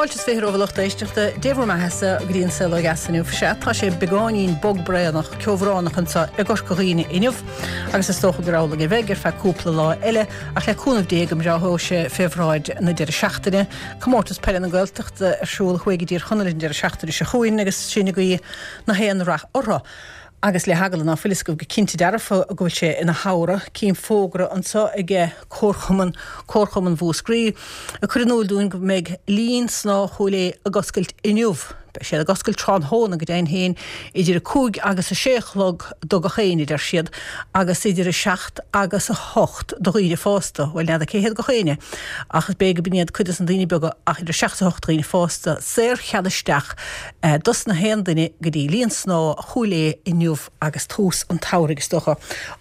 Fáilte is 20 romhaibh a lucht éisteachta, Dé bhur mbeathasa go dtí an Saol Ó Dheas inniu. Sea, tá sé beagáinín bog braonach, ceobhránach anseo i gCorca Dhuibhne inniu agus is dócha gur amhlaidh a bheidh ar feadh cúpla lá eile ach le cúnamh Dé go mbreáthaíonn sé fé bhráid na deireadh seachtaine. Comórtas Peile na Gaeltachta ar siúl thuaidh i dTír Chonaill an deireadh seachtaine seo chugainn agus sinn ag guí na haon rath orthu. Agus le heagla ná fuil fhios agaibh go cinnte dearfa go bhfuil sé ina shamhradh, cím fógra anseo aige Comharchumann, Comharchumann Mhúscraí, ag cur in iúl dúinn go mbeidh linn snámha Chúil Aodha ag oscailt inniu. Beidh siad ag oscailt tráthnóna go deimhin féin idir 5 agus 6 a chlog do gach éinne, a deir siad, agus idir 7 agus 8 do dhaoine fásta. Bhuel, n'fheadar cé hiad gach éinne, ach is b'fhéidir go b'in iad cuid des na daoine beaga, ach idir 7 is 8 do dhaoine fásta, saor-chead isteach dos na haon duine go dtí linn snámha Chúil Aodha inniu agus tús an tsamhraidh, is dócha,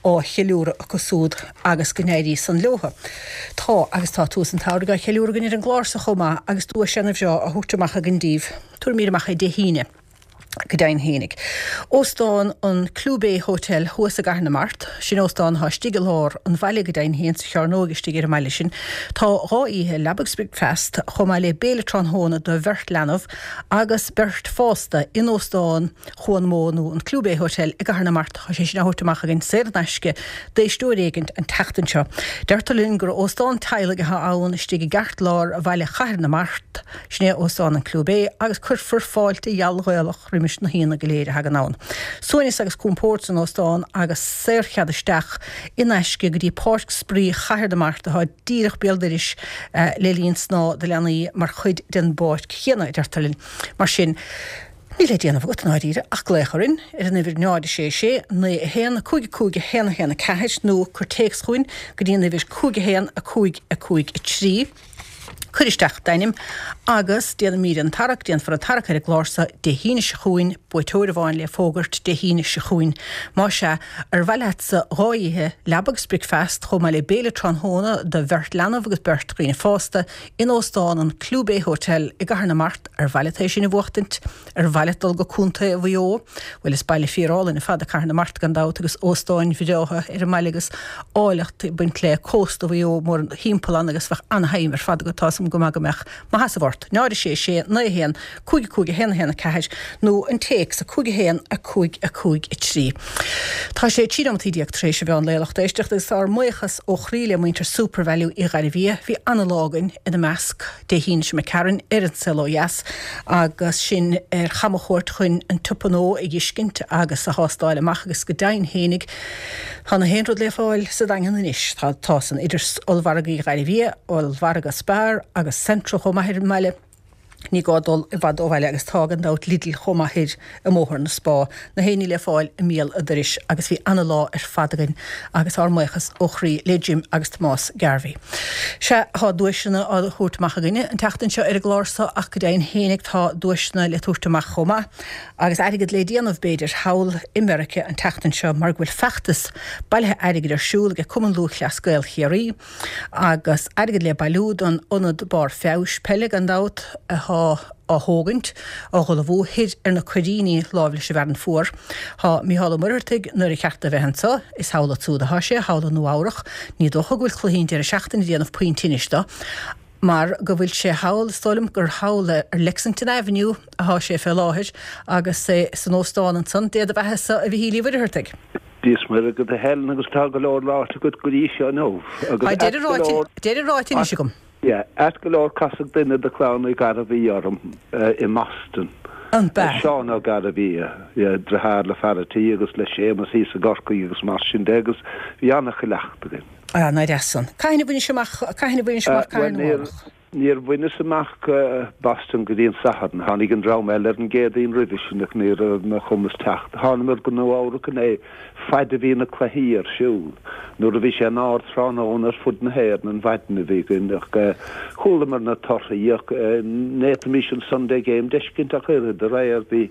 á cheiliúradh acu súd agus go n-éirí san leotha. Tá, agus tá tús an tsamhraidh á cheiliúradh againn ar an gclár so chomh maith agus duais ana-bhreá á thabhairt amach againn daoibh. Tabharfaimid amach é Dé hAoine. Go deimhin fhéinig. Óstán an Clew Bay Hotel thuas i gCathair na Mart, sin óstán atá istigh i lár an bhaile go deimhin féin, sa chearnóig istigh ar an mbaile sin. Tá 2 oíche, leaba agus bricfeast, chomh maith le béile tráthnóna do bheirt leanbh agus beirt fásta in Óstán Chuan Mó nó an Clew Bay Hotel i gCathair na Mart. Tá sé sin á thabhairt amach againn saor in aisce d'éisteoir éigint an tseachtain seo. Deirtear linn gur óstán teaghlaigh atá ann istigh i gceartlár bhaile Chathair na Mart. Sin é Óstán an Clew Bay agus cuirfear fáilte gheal Ghaelach roimis na haíonna go léir a thagann ann. Suaimhneas agus compord san óstán agus saorchead isteach in aisce go dtí Páirc Spraoi Chathair na Mart atá díreach béal dorais le linn snámha do leanaí mar chuid den bpáirc chéanna, a deirtear linn. Mar sin, níl le déanamh agat, i ndáiríre, ach glaoch orainn ar an uimhir 0 6 6 9 1 5 5 1 1 4 nó cuir téacs chugainn go dtí an uimhir 5 1 5 5 3. Cuir isteach d'ainm agus déanfaimid an tarrac, déanfar an tarrac ar an gclár seo Dé hAoine seo chugainn, buaiteoir amháin le fógairt Dé hAoine seo chugainn. Más ea, ar mhaith leatsa 2 oíche, leaba agus bricfeast, chomh maith le béile tráthnóna do bheirt leanbh agus beirt dhaoine fásta, in Óstán an Clew Bay Hotel i gCathair na Mart, ar mhaith leat é sin a bhuachtaint? Ar mhaith leat dul go Contae Mhaigh Eo? Bhuel, is baile fíor-álainn ar fad é Cathair na Mart gan dabht agus óstáin bhreátha ar an mbaile agus áilleacht ag baint le cósta Mhaigh Eo mórthimpeall ann agus bheadh ana-thaitneamh ar fad agat, tá 'fhios agam go maith go mbeadh. Mo sheasamh ort. 0 6 6 9 1 5 5 1 1 4 nó an téacs 5 1 5 5 3. Tá sé 13 nóimeataí tar éis an mheán lae a lucht éisteachta agus ár mbuíochas ó chroí le muintir Supervalu Uí Ghairbhia. Bhí ana-lá againn ina measc. Dé hAoine seo imigh tharainn ar An Saol Ó Dheas agus sinn ar chamchuairt chun an tSiopa Nua a dh'fheiscint agus a thástáil amach agus go deimhin fhéinig tá na haon rud le fáil sa Daingean anois. Tá, tá san, idir ollmhargadh Uí Ghairbhia, ollmhargadh Spar agus Centra chomh maith ar an mbaile. Ní gá dul i bhfad ó bhaile agus tá gan dabht Lidl chomh maith thoir i mBóthar na Spá. Na haon ní le fáil i mbéal a' dorais agus bhí ana-lá ar fad againn agus ár mbuíochas ó chroí le Jim agus Tomás Garvey. Sea, tá duaiseanna á thabhairt amach againne an tseachtain seo ar an gclár so ach go deimhin fhéinig tá duaiseanna le tabhairt amach chomh maith agus airgead le déanamh, b'fhéidir, thall i Meirice an tseachtain seo mar go bhfuil feachtas bailithe airgid ar siúl ag Cumann Lúthchleas Gael Chiarraí agus airgead le bailiú don ionad barr feabhais peile, gan dabht, atá á thógaint, á dh'ullmhú thoir ar na Coiríní láimh leis an bhFearann Fuar. Tá Mícheál Ó Muircheartaigh, nuair a cheart do bheith anso, is thall ansúd atá sé, thall i Nua Eabhrach. Ní dócha go bhfuil cluichí an deireadh seachtaine ag déanamh puinn tinnis do, mar go bhfuil sé thall, is dóigh liom gur thall ar Lexington Avenue atá sé fé láthair, agus é san óstán ansan. Dé do bheatha-sa, a Mhichíl Uí Mhuircheartaigh. Dia is Muire agat a Helen agus tá go leor ráite agat go dtí seo inniu. Agus Tá deireadh ráite, deireadh ráite anois agam. Yeah, ait go leor casadh duine de chlann Uí Ghairbhí orm i mBoston. An b'ea? Seán Ó Gairbhí, yeah, deartháir le fear a' tí agus le Séamus thíos i gCorcaigh agus mar sin de agus bhí an-chuileachta againn. Ah, nár dheas san. Cathain a bhainis amach, cathain a bhainis amach Cathair na Mart? Níor bhaineas amach Boston go dtí an Satharn. Tháinig an dream eile ar an gCéadaoin roimhe sin ach ní raibh ar mo chumas teacht. Thánamair go Nua Eabhrac inné faid a bhí na cluichí ar siúl. Nuair a bhí sé in ardtráthnóna ar fud na hÉireann an mhaidin a bhí againn ach chualamar na torthaí ach n'fhéadfaimis an Sunday Game d'fheiscint ach oiread aréir bhí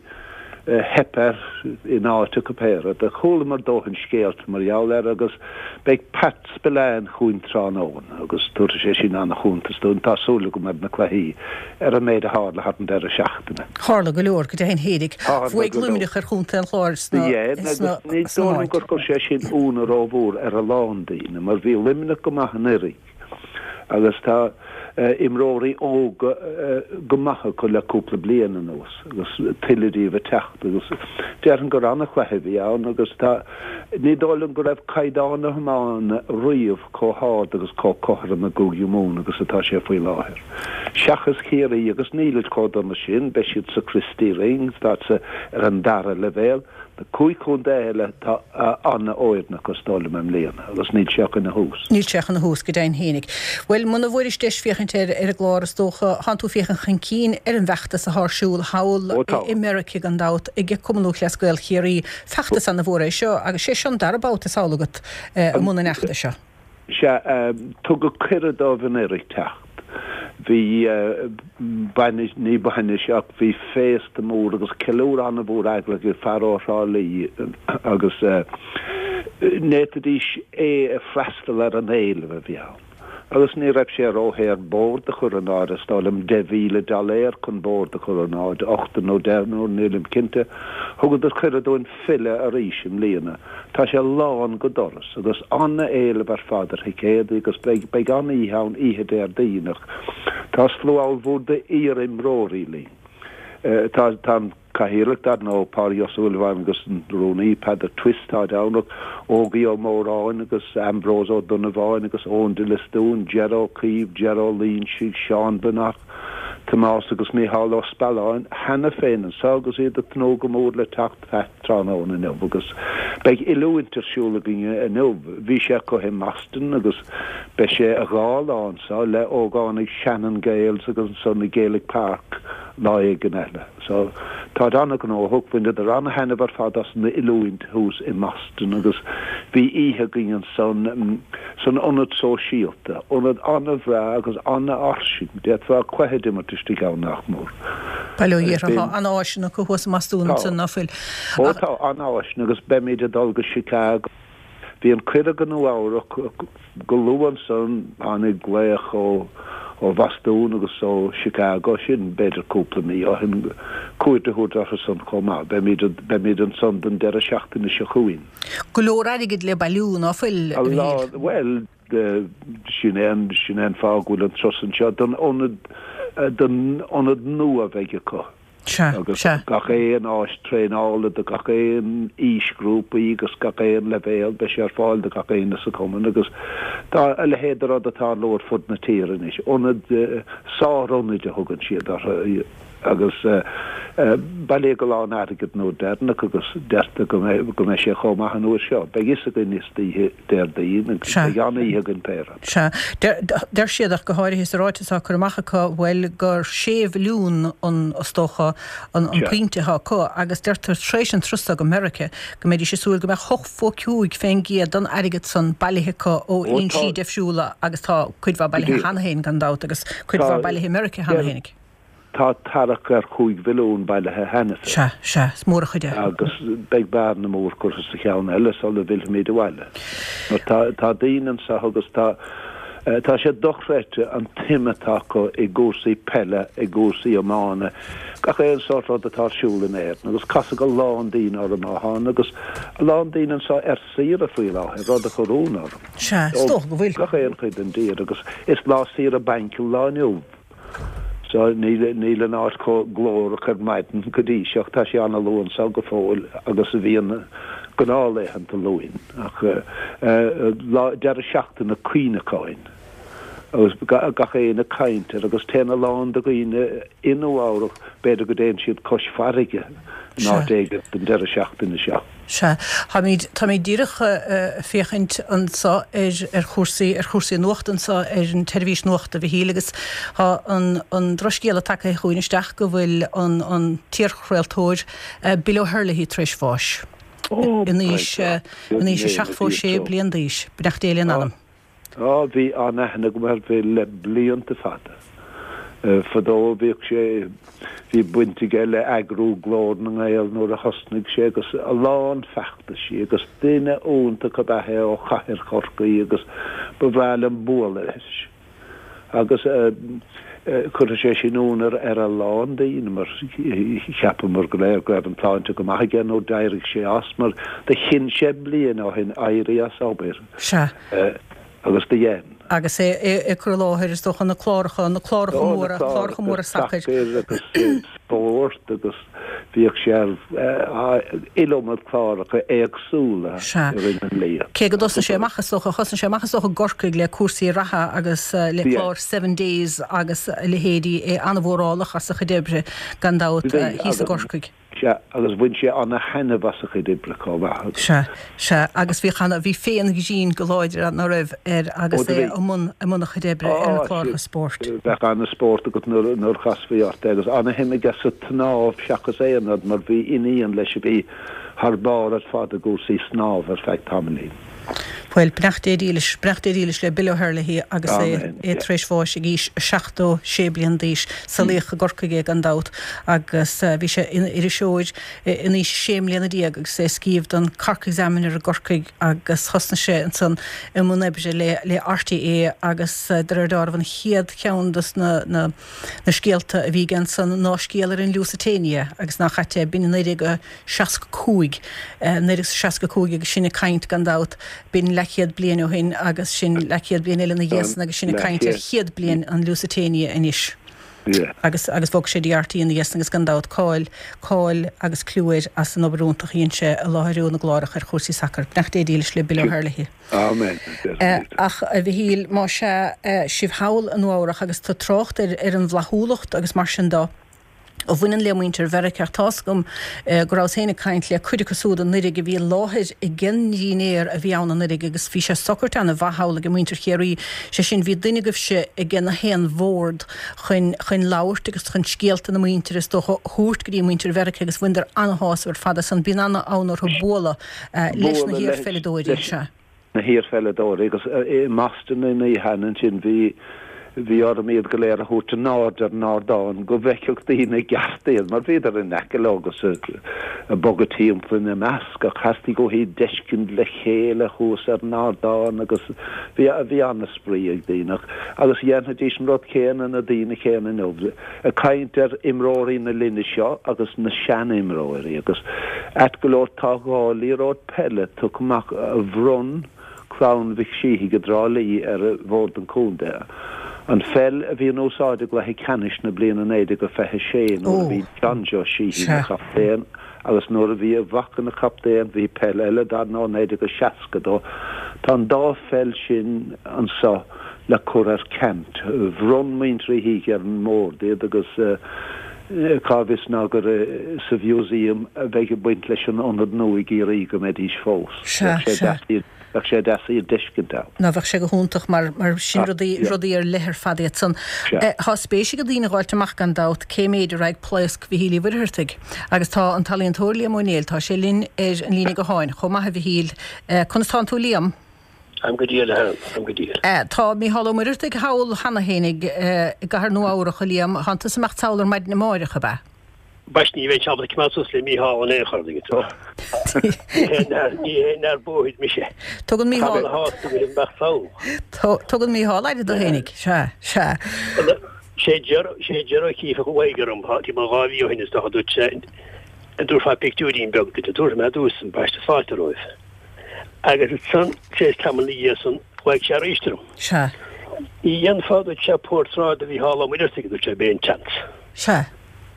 theip air in áit acu pé rud. Chualamar dóthain scéalta mar gheall air agus beidh Pat Spillane chugainn tráthnóna agus tabharfaidh sé sin an-chuntas dúinn, tá súil agam, ar na cluichí, ar an méid a tharla thar an deireadh seachtaine. Tharla go leor, go deimhin fhéinig. Bhuaigh Luimneach ar chontae an Chláir sna Agus ní dóigh liom gur chuir sé sin ionadh rómhór ar a lán daoine, mar bhí Luimneach go maith anuraidh. Agus tá imreoirí óga go maith acu le cúpla bliain anuas agus tuilleadh díobh ag teacht agus déarfainn gur an-chluiche a bhí ann agus tá, ní dóigh liom go raibh caighdeán na hiomána riamh chomh hard agus chomh cothrom i gCúige Mumhan agus atá sé faoi láthair. Seachas Ciarraí agus nílid chomh dona sin, beidh siad sa Christy Ring, tá sa ar an dara leibhéal. Na cúig chontae eile tá an-fhoireann acu is dóigh liom i mbliana agus níl sé ach ina thús. Níl sé ach ina thús, go deimhin fhéinig. Bhuel, muna bhfuairis deis féachaint air ar an gclár is dócha, thánn tú féachaint chun cinn ar an bhfeachtas athá ar siúl thall i Meirice gan dabht ag Cumann Lúthchleas Gael Chiarraí. Feachtas ana-mhór é seo agus sé seo an dara babhta is amhlaidh agat i mbun an fheachtais seo. Sea, tugadh cuireadh dóibh anuraidh teacht. Bhí bainis, ní bainis ach bhí féasta mór agus ceiliúradh an-mhór eagraithe ag fear ó Thrá Lí agus n'fhéadfaidís é a freastal ar an éileamh a bhí ann. Agus ní raibh sé ródhaor bord a chur in airde, is dóigh liom 10,000 dollar chun bord a chur in airde, ochtar nó deichniúr, nílim cinnte. Thugadar cuireadh dúinn filleadh arís i mbliana. Tá sé lán go doras agus an-éileamh ar fad ar thicéadaí agus beidh beidh an-oíche ann oíche Déardaoin ach tá slua ollmhór d'iar-imreoirí linn. Tá tá an Cathaoirleach dar ndóigh, Pádraig Ó Súilleabháin agus an Rúnaí, Peadar Twiss táid ann ach Ógie Ó Móráin agus Ambrose Ó Donnabháin agus Eoin de Liostiún, Ger Ó Caoimh, Ger Ó Loingsigh, Seán Breathnach, Tomás agus Micheál Ó Spealáin cheana féin anseo agus iad ag tnúth go mór le teacht tráthnóna inniu agus beidh oiliúint ar siúl againn inniu. Bhí sé acu i mBoston agus beidh sé dhá lá anseo le ógánaigh Shannon Gaels agus ansan i Gaelic Park lá éigin eile. So, táid an-ghnóthach, bhaineadar an-thaitneamh ar fad as an oiliúint thuas i mBoston agus bhí oíche againn ansan san Ionad Sóisialta, ionad an-bhreá agus an-fhairsing, d'fhéadfá cluiche d'imirt istigh ann nach mór. Bail ó Dhia orthu, tá an-áiseanna acu thuas i mBostún ansan, ná fuil? Ó tá, an-áiseanna agus beimid ag dul go Chicago. Bhí an cuireadh go Nua Eabhrac go luath ansan, tháinig glaoch ó Bhostún agus ó Chicago, sin b'fhéidir cúpla mí ó shin, cuairt a thabhairt orthu san chomh maith. Beimid, beimid ansan don deireadh seachtaine seo chugainn. Go leor airgid le bailiú, ná fuil, a Mhichíl? Bhuel, sin é an, sin é an fáth go bhfuil an turas anseo, don ionad, don ionad nua a bheidh acu. Sea, agus sea. gach aon áis traenála do gach aon aoisghrúpaí agus gach aon leibhéal, beidh sé ar fáil do gach éinne sa chumann agus tá a leithéid de rud ag tarlú ar fud na tíre anois, ionaid, sár-ionaid a thugann siad orthu agus bailíodh a lán airgid an uair deireanach agus deirtear go mbeidh, go mbeidh sé chomh maith an uair seo. Beidh fhios againn istoíche Déardaoin agus Sea. beidh an-oíche againn pé rud. Sea. Deir siad ach go háirithe sa ráiteas atá curtha amach acu, bhuel, gur sé mhilliún an, is dócha, an Sea. pointe atá acu agus deirtear tar éis an turas seo go Meiriceá go mbeidís ag súil go mbeadh 85% den airgead san bailithe acu ó Ó tá. fhoinsí difriúla agus tá cuid mhaith Go bailithe díreach. cheana féin gan dabht agus cuid Tá. mhaith bailithe i Meiriceá cheana Deir. féinig. Tá tarrac ar chúig mhilliún bailithe cheana féin. Sea, sea, is mór an chuid é. Agus beidh bearna mór curtha sa cheann eile sula bhfillfimid abhaile. Mar tá, tá daoine anseo agus tá, tá sé dochreidte an tsuim atá acu i gcúrsaí peile, i gcúrsaí iomána, gach aon sórt rud atá ar siúl in Éirinn. Agus casadh a lán daoine orm ó thána agus a lán daoine anseo ar saoire faoi láthair, rud a chuir ionadh orm. Sea, is dócha go bhfuil. Ó gach aon chuid den dtír agus is lá saoire bainc an lá inniu. So níl, níl an áit chomh glórach ar maidin go dtí seo, tá sé an-luath anso go fóill agus a bhíonn gnáthlaethanta Luain, ach lá, deireadh seachtaine cuimhneacháin agus gach éinne ag caint air agus téann a lán de dhaoine i Nua Eabhrac, b'fhéidir go dtéann siad cois farraige in áit éigin don deireadh seachtaine seo. Sea. Táimid, táimid díreach ag féachaint anso ar, ar chúrsaí, ar chúrsaí nuachta anso ar an tseirbhís nuachta, a Mhichíl, agus tá an, an drochscéala tagtha chugainn isteach go bhfuil an, an t-iarchraoltóir Bill O'Herlihy tar éis bháis. Ó, In aois, in aois a 76 bliain d'aois. Beannacht Dé lena anam. Á, bhí an-aithne agam ar Bhill le blianta fada. Fadó bhíodh sé, bhí baint aige le eagrú Glór na nGael nuair a thosnaigh sé agus a lán feachtaisí agus duine iontach ab ea é ó chathair Chorcaí agus ba bhreá liom bualadh leis. Agus chuir sé sin ionadh ar a lán daoine mar cheapamar go léir go raibh an tsláinte go maith aige nuair d'éirigh sé as mar do chinn sé bliain ó shin éirí as obair. Sea. Agus do dhein. Agus é ag cur i láthair, is dócha, na cláracha, na cláracha móra, cláracha móra sacair. Sacair agus spórt agus bhíodh sé ar iliomad cláracha éagsúla i rith na mblian. Cé go dtosaigh sé amach, is dócha, thosnaigh sé amach, is dócha, i gCorcaigh le cúrsaí reatha agus le clár Seven Days agus a leithéidí, é an-mhórálach as a chuid oibre, gan dabht, thíos i gCorcaigh. Sea, agus bhain sé ana-thaitneamh as a chuid oibre chomh maith agus. Sea, sea, agus bhíodh ana, bhí féith an ghrinn go láidir, ná raibh, air agus é i mbun, i mbun a chuid oibre ar na cláracha spóirt. Bheadh ana-spórt agat nuair, nuair a chasfaí ort é agus ana-shuim aige sa tsnámh seachas aon rud mar bhí iníon leis a bhí thar barr ar fad i gcúrsaí snámha ar feadh tamaillín. Bhuel, beannacht Dé dílis, beannacht Dé dílis le Bill O'Herlihy agus é é tar éis bháis ag aois 76 bliain d'aois. Saolaíodh i gCorcaigh é gan dabht agus bhí sé ina iriseoir in aois 16 mbliana agus é ag scríobh don Cork Examiner i gCorcaigh agus thosnaigh sé ansan i mbun oibre le le RTÉ agus de réir dealraimh an chéad cheann dos na na na scéalta a bhí aige ansan ná scéal ar an Lusitania agus nach ait é, b'in i 1965, 1965 agus sinn ag caint gan dabht, b'in leathchéad bliain ó shin agus sin leathchéad bliain eile ina dhiaidh san agus sinn ag caint ar chéad bliain an Lusitania anois. Agus, agus bhog sé dtí RTÉ ina dhiaidh san agus gan dabht cáil, cáil agus clú air as an obair iontach a dhein sé i láithriú na gcláracha ar chúrsaí sacair. Beannacht Dé dílis le Bill O'Herlihy. Amen. Ach, a Mhichíl, má sea, sibh thall i Nua Eabhrach agus tú ag trácht ar, ar an bhflaithiúlacht agus mar sin de, a bhaineann le muintir Mheiriceá. Tá's agam go rabhas féin ag caint le cuid acu siúd anuiridh a bhí i láthair ag an ndinnéar a bhí ann anuiridh agus bhí sé socraithe ana mhaith thall ag muintir Chiarraí, sé sin bhí duine agaibhse ag na haon bhord chun chun labhairt agus chun scéalta na muintire is dócha a thabhairt go dtí muintir Mheiriceá agus bhaineadar ana-shásamh ar fad as san. Bíonn ana-fhonn orthu bualadh leis na hiar-pheileadóirí. Sea. na hiar-pheileadóirí agus i mBoston an oíche ansin bhí bhí orm iad go léir a thabhairt in airde ar an ardán go bhfeicfeadh daoine i gceart iad mar bhíodar in aice leo agus ag bogadh timpeall ina measc ach theastaigh uathu iad d'fheiscint le chéile thuas ar an ardán agus bhí bhí an-spraoi ag daoine ach agus dhéanfaidís an rud céanna na daoine céanna inniu ag caint ar imreoirí na linne seo agus na seanimreoirí agus ait go leor tá dhá liathróid peile tugtha amach a bhronn clann Mhic Síthigh i dTrá Lí ar Bhord an Chontae. An pheil a bhí in úsáid i gcluiche ceannais na bliana 1926 nuair a bhí John Joe Sheehy ina chaptaen agus nuair a bhí a mhac ina chaptaen bhí peil eile dar ndóigh 1962. Tá an dá pheil sin anso le cur ar ceant. Bhronn muintir Uí Shíthigh ar an mBord iad agus cá bhfios ná gur sa mhúsaem a bheidh ag baint leis an ionad nua i gCiarraí go mbeidís fós. Sea, Bheadh sé sea. deas iad, bheadh sé deas iad d'fheiscint ann. Ná bheadh sé go hiontach mar, mar sin rudaí, rudaí ar leith ar fad iad san. Sea. Tá spéis ag daoine a dh'fháilt amach gan dabht cé méid a raghaidh plaosc Mhichíl Uí Mhuircheartaigh. Agus tá an t-ealaíontóir Liam Ó Néill, tá sé linn ar an líne gutháin chomh maith a Mhichíl. Conas tánn tú Liam? Táim go diail, a Helen, táim go diail. Tá Mícheál Ó Muircheartaigh thall cheana fhéinig i gcathair Nua Eabhrach, a Liam. Tánn tusa ag imeacht sall ar maidin amáireach, ab ea? Ambaiste, ní bheinn ábalta coimeád suas le Mícheál in aon chor, tuigeann tú. Ní haon fhear bóthair mise. Tugann Mícheál. Tá mé sásta go imeacht sall. Tugann Mícheál aire dó fhéinig, sea, sea. Sé Ger, sé Ger O'Keeffe a ghlaoigh orm timpeall 2 mhí ó shin is dócha, dúirt sé, an dtabharfá pictiúirín beag duit, tabharfaidh mé duit, ambaiste fáilte romhaibh. Agus ansan, tar éis tamaill ina dhiaidh san, ghlaoigh sé arís orm. Sea. Ní dhéanfá, dúirt sé, portráid de Mhícheál Ó Muircheartaigh, dúirt sé, b'é an tseans. Sea.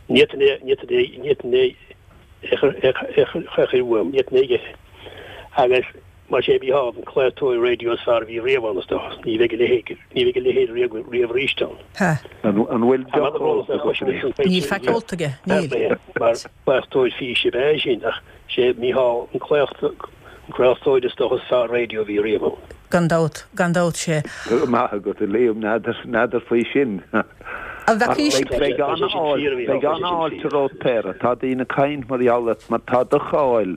Ní fhéadfainn é, ní fhéadfainn é, ní fhéadfainn é a chur, a chur, a chur uaim, ní fhéadfainn é a. Agus mar sé Mícheál an craoltóir raidió is fearr a bhí riamh ann, is dócha. Ní bheidh a leithéid, ní bheidh a leithéid riamh, riamh arís ann. Sea. An bhfuil deoch ólta agat? Níl faic ólta aige, níl. Mar craoltóir físe ab ea é sin, ach sé Mícheál an craoltóir is dócha is fearr raidió a bhí riamh ann. Gan dabht, gan dabht, sé. Go raibh maith agat, a Liam, n'fheadar faoi sin. An bhfeacaís? Beidh an-fháilte romhat péire. Tá daoine ag caint mar gheall ort mar tá do cháil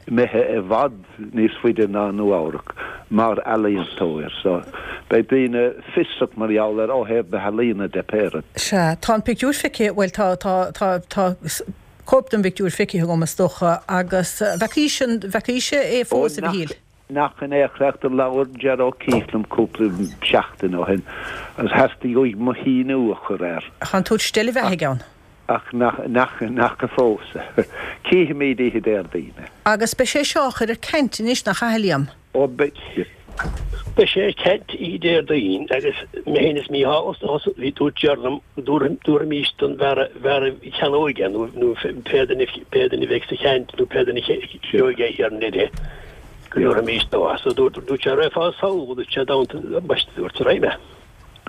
imithe i bhfad níos faide ná Nua Eabhrac mar ealaíontóir so beidh daoine fiosrach mar gheall air ó thaobh na healaíona de péire. Sea, tá an pictiúr feicthe, bhuel tá, tá, tá, tá cóip den bpictiúr feicthe agam is dócha agus bhfeacaís an, bhfeacaís é fós, a Mhichíl? Nach in é a do labhair Ger O'Keeffe liom cúpla seachtain ó shin agus theastaigh uaidh mo shíniú a chur air. Tá an tabhairt steillebheatha aige ann. Ach nach, nach, nach fós. Cífimid oíche Déardaoin. Agus beidh sé seo á chur ar ceant anois, nach ea, a Liam? Ó, beidh. Beidh sé ar ceant oíche Déardaoin agus mé féin is Mícheál is dócha bhí dúirt Ger liom go dtabharfaimís don bhfear bhfear a cheannóidh é nó nó pé duine pé duine a bheidh sa cheant nó pé duine a gheobhaidh é thiar in Doire go dtabharfaimís dó. So dúirt dúirt sé raghfá sall dúirt sé dá mbaiste dúirt raghaidh mé.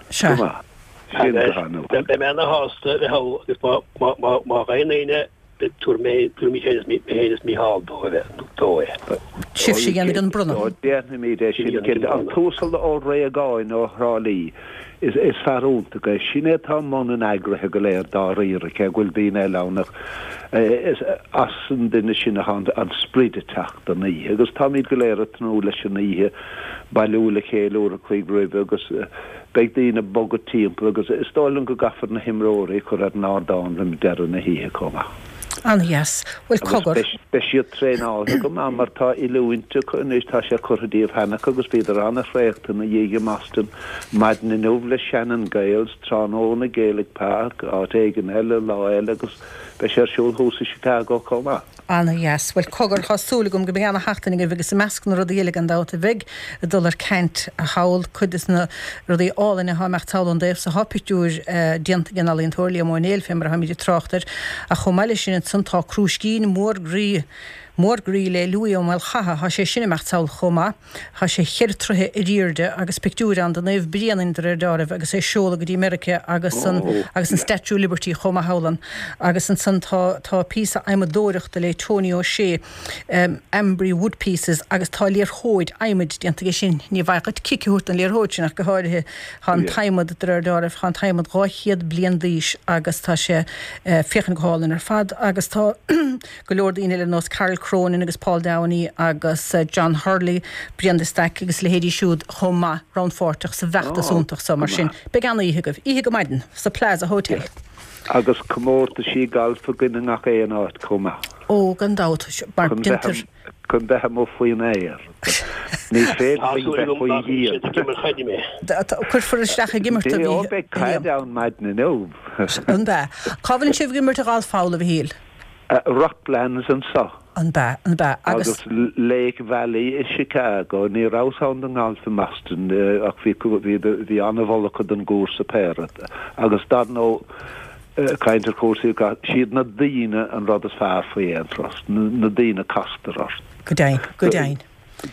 Sea. Go maith. Sin go han-mhaith. Beidh mé ana shásta a bheith thall agus má má má má gheibheann éinne Tabharfaidh mé féin is Mícheál dó é. Sibhse a dhéanfaidh an bronnadh. Déanfaimid é sin cinnte. An tUasal Ó Réagáin ó Thrá Lí, is fear iontach é. Sin é atá i mbun an eagraithe go léir dáiríre, cé go bhfuil daoine eile ann ach is as an duine sin atá an sprid ag teacht don oíche. Agus táimid go léir ag tnúth leis an oíche, bailiú le chéile uair a chloig roimhe agus Beidh daoine ag bogadh timpeall agus is dóigh liom go gcaithfear na himreoirí a chur ar an ardán roimh deireadh na hoíche chomh maith. An-dheas. Bhuel, cogar. Agus beidh siad traenáilte go maith mar tá oiliúint acu anois, tá sé curtha díobh cheana acu agus bhíodar an-thraochta ina dhiaidh i mBoston maidin inniu le Shannon Gaels, tráthnóna Gaelic Park, áit éigin eile, lá eile agus beidh sé ar siúl thuas i Chicago chomh maith. Ana-dheas. Bhuel, cogar, tá súil agam go mbeidh ana-sheachtain agaibh agus i measc na rudaí eile gan dabht a bheidh ag dul ar ceant thall, cuid de na rudaí álainne atá ag imeacht sall ón dtaobh so, tá pictiúir déanta ag an ealaíontóir Liam Ó Néill fé mar atáimid ag trácht air ach chomh maith leis sin ansan tá crúiscín mór groí mór groí le Louis Ó Maolchatha, tá sé sin ag imeacht sall chomh maith. Tá sé cheithre troithe ar aoirde agus pictiúir ann de Naomh Bréanainn de réir deáraimh agus é ag seoladh go dtí Meirice agus an agus an Statue of Liberty chomh maith thall ann. Agus ansan tá tá píosa adhmadóireachta le Tony O'Shea, Ambrey Wood Pieces agus tá liathróid adhmaid déanta aige sin. Ní mhaith dhuit cic a thabhairt don liathróid sin ach go háirithe. Tá an t-adhmad de réir deáraimh, tá an t-adhmad 200 bliain d'aois agus tá sé féachaint go hálainn ar fad agus tá go leor daoine eile ar nós Carol Cronin agus Paul Downey agus John Hurley, Brian de Staic agus a leithéidí siúd chomh maith rannpháirteach sa bhfeachtas iontach so. Mar sin, beidh an-oíche agaibh. Oíche go maidin sa Plaza Hotel. Agus comórtaisí gailf againn i ngach aon áit chomh maith. Ó, gan dabht, mar déantar. Chun bheith amuigh faoin aer. Ní féidir linn bheith faoi dhíon. Cuirfear isteach ag imirt a Mhíchíl. Ó, beidh caid ann maidin inniu. An bea? Cá bhfuil sibh ag imirt a ghalf thall, a Mhichíl? Rocklands anso. An bea, an bea. Agus. Agus Lake Valley i Chicago. Ní rabhas ann don ngalf i mBoston ach bhí, bhí, bhí an-mholadh acu don gcúrsa péire. Agus dar ndóigh, caint ar chúrsaí, siad na daoine an rud is fearr faoi aon turas, na daoine a castar ort. Go deimhin, go deimhin.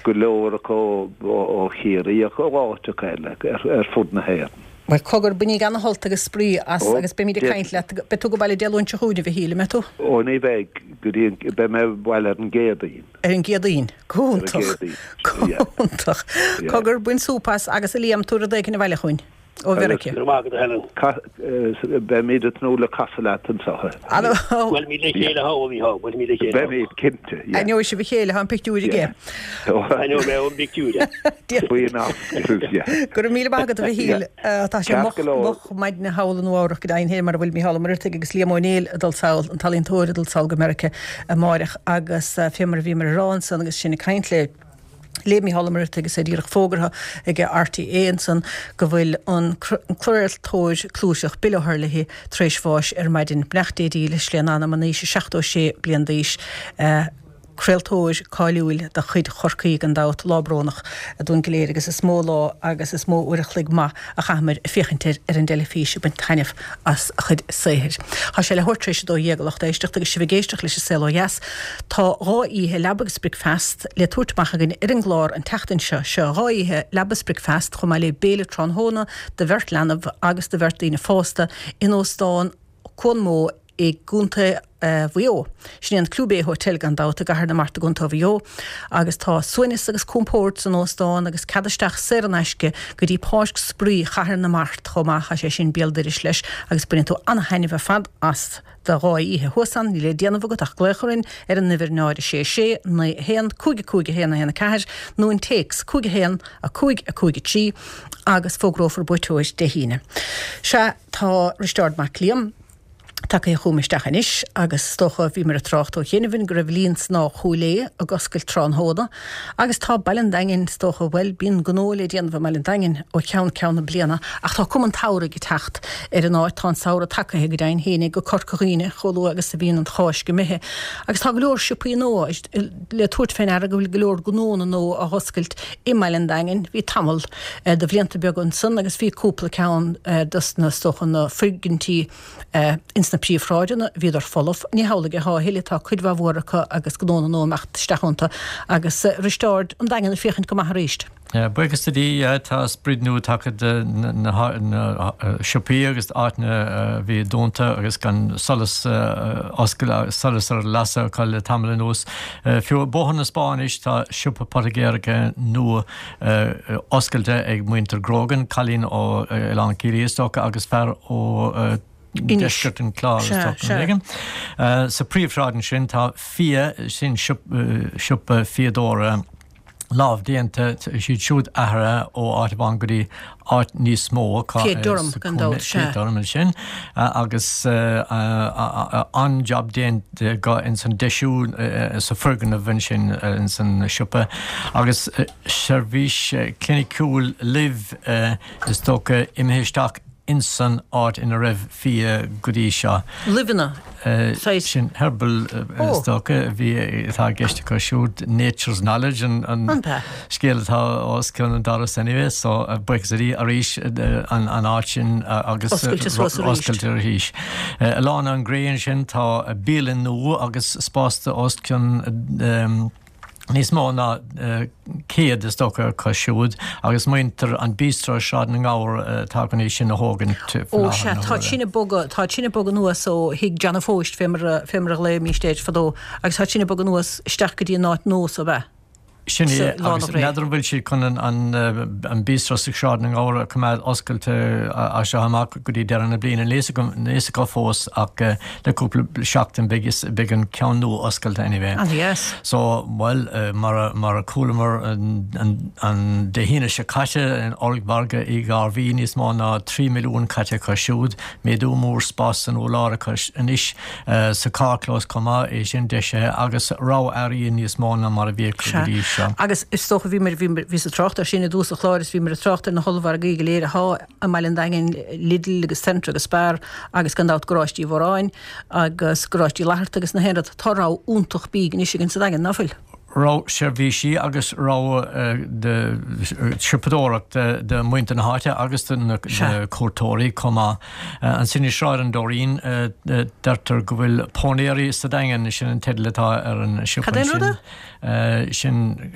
Go leor acu ó Chiarraí ach ó áiteacha eile ar fud na hÉireann. Bhuel, cogar, bainíg ana-shult agus spraoi as agus beimid ag caint leat. Beidh tú ag baile Dé Luain seo chugainn, a Mhichíl, an mbeidh tú? Ó, ní bheidh, go dtí an, beidh mé abhaile ar an gCéadaoin. Ar an gCéadaoin. Go hiontach. Go hiontach. Cogar, bain súp as agus a Liam, tabhair rud éigin abhaile chugainn. Ó Mheiriceá. Go raibh maith agat, a Helen. Beimid ag tnúth le casadh leat anseo. Buailfimid le chéile thall, a Mhícheál, buailfimid le chéile thall. Beimid, cinnte, yeah. Aithneoidh sibh a chéile, tá an pictiúr aige. Aithneoidh mé ón bpictiúr é. Faoin ascaill, yeah. Go raibh míle maith agat, a Mhichíl. Tá sé moch, moch maidne thall i Nua Eabhrac go deimhin féin, mar a bhfuil Mícheál Ó Muircheartaigh agus Liam Ó Néill ag dul sall, an t-ealaíontóir ag dul sall go Meiriceá amáireach agus fé mar a bhíomar ag rá ansan agus sinn ag caint le le Mícheál Ó Muircheartaigh agus é díreach fógartha ag RTÉ ansan go bhfuil an craoltóir clúiteach Bill O'Herlihy tar éis bháis ar maidin. Beannacht Dé dílis lena anam in aois a 76 bliain d'aois. Craoltóir cáiliúil de chuid Chorcaí gan dabht. Lá brónach dúinn go léir agus is mó lá agus is mó uair a chloig maith a chaitheamar ag féachaint air ar an dteilifís ag baint taitneamh as a chuid saothair. Tá sé leathuair tar éis 12 a lucht éisteachta agus sibh ag éisteacht leis an Saol Ó Dheas. Tá 2 oíche leaba agus bricfeast le tabhairt amach againn ar an gclár an tseachtain seo. Seo 2 oíche leaba is bricfeast chomh maith le béile tráthnóna do bheirt leanbh agus do bheirt daoine fásta in Óstán Cuan Mó i gContae Mhaigh Eo. Sin é an Clew Bay Hotel gan dabht i gCathair na Mart i gContae Mhaigh Eo agus tá suaimhneas agus compord san óstán agus cead isteach saor in aisce go dtí Páirc Spraoi Chathair na Mart chomh maith, tá sé sin béal dorais leis agus bainfidh tú ana-thaitneamh ar fad as do dhá oíche thuas ann. Níl le déanamh agat ach glaoch orainn ar an uimhir 0 6 6 9 1 5 5 1 1 4 nó an téacs 5 1 5 5 3 agus fógrófar buaiteoir Dé hAoine. Sea, tá Risteárd Mac Liam. Tagtha chugam isteach anois agus is dócha, bhíomar ag trácht ó chianaibh go raibh Líon Snámha Chúil Aodha ag oscailt tráthnóna agus tá Baile an Daingin, is dócha, bhuel, bíonn gnó le déanamh i mBaile an Daingin ó cheann ceann na bliana ach tá cuma an tsamhraidh ag teacht ar an áit, tá an samhradh tagaithe go deimhin féin go Corca Dhuibhne chomh luath agus a bhíonn an Cháisc imithe agus tá go leor siopaí nua le tabhairt fé ndeara go bhfuil go leor gnónna nua á oscailt i mBaile an Daingin. Bhí tamall de bhlianta beaga ansan agus bhí cúpla ceann dos na, is dócha, na foirgintí ins na príomhshráideanna, bhíodar folamh. Ní hamhlaidh athá a thuilleadh, tá cuid mhaith mhór acu agus gnónna nua imeacht isteach iontu agus a Risteáird, an Daingean ag féachaint go maith arís. Buíochas do Dhia, tá sprid nua tagtha do na siopaí agus áiteanna a bhí dúnta agus gan solas oscail, solas ar lasadh acu le tamall anuas. Fiú Bóthar na Spá anois tá siopa poitigéireachta nua oscailte ag muintir Grogan, cailín ó Oileán Ciarraí is dócha agus fear ó deisceart an Chláir is dócha nó éigin. Sa phríomhshráid ansin tá Fia, sin siopa fíodóra lámhdéanta, siad siúd athraithe ó áit amháin go dtí áit níos mó acu. Fia Durham gan dabht, sea. Fia Durham ansin agus an-jab déanta acu ins an deisiú sa foirgneamh ansin ins an siopa agus seirbhís cliniciúil Luibh is dócha imithe isteach insan áit ina raibh Fia go dtí seo. Luibheanna, saghas. Sin herbal is dócha a bhí, atá i gceist acu siúd, nature's knowledge an scéal atá os cionn an doras anyway, so buíochas le Dia arís an áit sin agus oscailte suas arís. Oscailte arís. I Lána an Ghré ansin tá bialann nua agus spás do os cionn níos mó ná 100 is dócha acu siúd agus muintir an Bistro i Sráid na nGabhar atá chun é sin a thógaint faoi Ó sea, tá sin ag bogadh, tá sin ag bogadh anuas ó thigh John a' Phóist fé mar a, fé mar a ghlaoimíst air fadó agus tá sin ag bogadh anuas isteach go dtí an áit nua so, ab ea? Sin é, agus n'fheadar an bhfuil siad chun an Bistro sa Sráid na nGabhar a choimeád oscailte as seo amach go dtí deireadh na bliana. Níl a fhios acu fós ach le cúpla seachtain beidh an ceann nua oscailte anyway. An-dheas. So, bhuel, mar a chualamar an Dé hAoine seo caite in ollmhargadh Uí Ghairbhí, níos mó ná 3 milliún caite acu siúd, méadú mór spás san urlár acu anois. Sa carrchlós chomh maith, é sin deisithe agus rogha earraí níos mó ná mar a bhí acu go dtí seo. Agus is dócha, bhíomar, bhíomar, bhíos ag trácht air sin i dtús an chláir is bhíomar ag trácht ar na hollmhargaí go léir athá i mBaile an Daingin, Lidl agus Centra agus Spar agus gan dabht Garáiste Uí Mhóráin agus Garáiste Uí Fhlatharta agus na haon rud. Tá rogha iontach bídh anois againn sa Daingean, ná fuil? Rogha seirbhísí agus rogha de shiopadóireacht do mhuintir na háite agus do na cuairteoirí chomh maith. Ansin i Sráid an Dairín, deirtear go bhfuil Pónairí sa Daingean, sin an teideal atá ar an siopa Cad é an rud é? Sin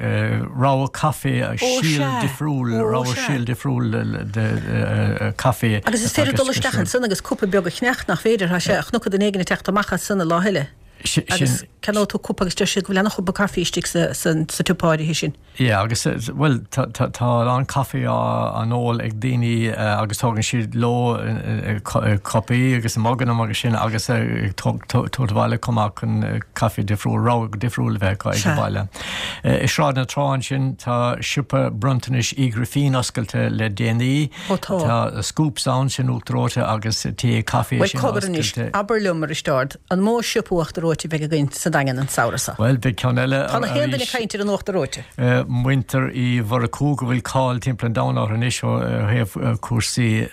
rogha caife, síol difriúil, rogha síol difriúil de caife. Agus is féidir dul isteach ansan agus cupa beag a cheannacht, nach féidir? Tá sé, chonac duine éigin ag teacht amach as san an lá eile. Agus ceannóidh tú cupa agus deir siad go bhfuil ana-chupa caife istigh sa tsiopa áirithe sin. Yeah, agus, bhuel, tá a lán caife á n-ól ag daoine agus tógann siad leo cupaí agus muganna agus sin agus ag tabhairt abhaile chomh maith chun caife difriúil, rogha difriúil a bheith acu ag an bhaile. I Sráid na Trá ansin tá siopa bronntanais Uí Ghrifín oscailte le déanaí. Ó tá. Tá Scoops ann, sin uachtar reoite agus tae caife Bhuel, sin cogar anois, oscailte. abair liom, a Risteárd, an mó siopa uachtar reoite a bheidh againn sa Daingean an samhradh seo? Bhuel, beidh ceann eile Tá na haon duine ag caint ar an uachtar reoite. Muintir Uí Mhurchú, go bhfuil cáil timpeall an domhain orthu anois ó thaobh cúrsaí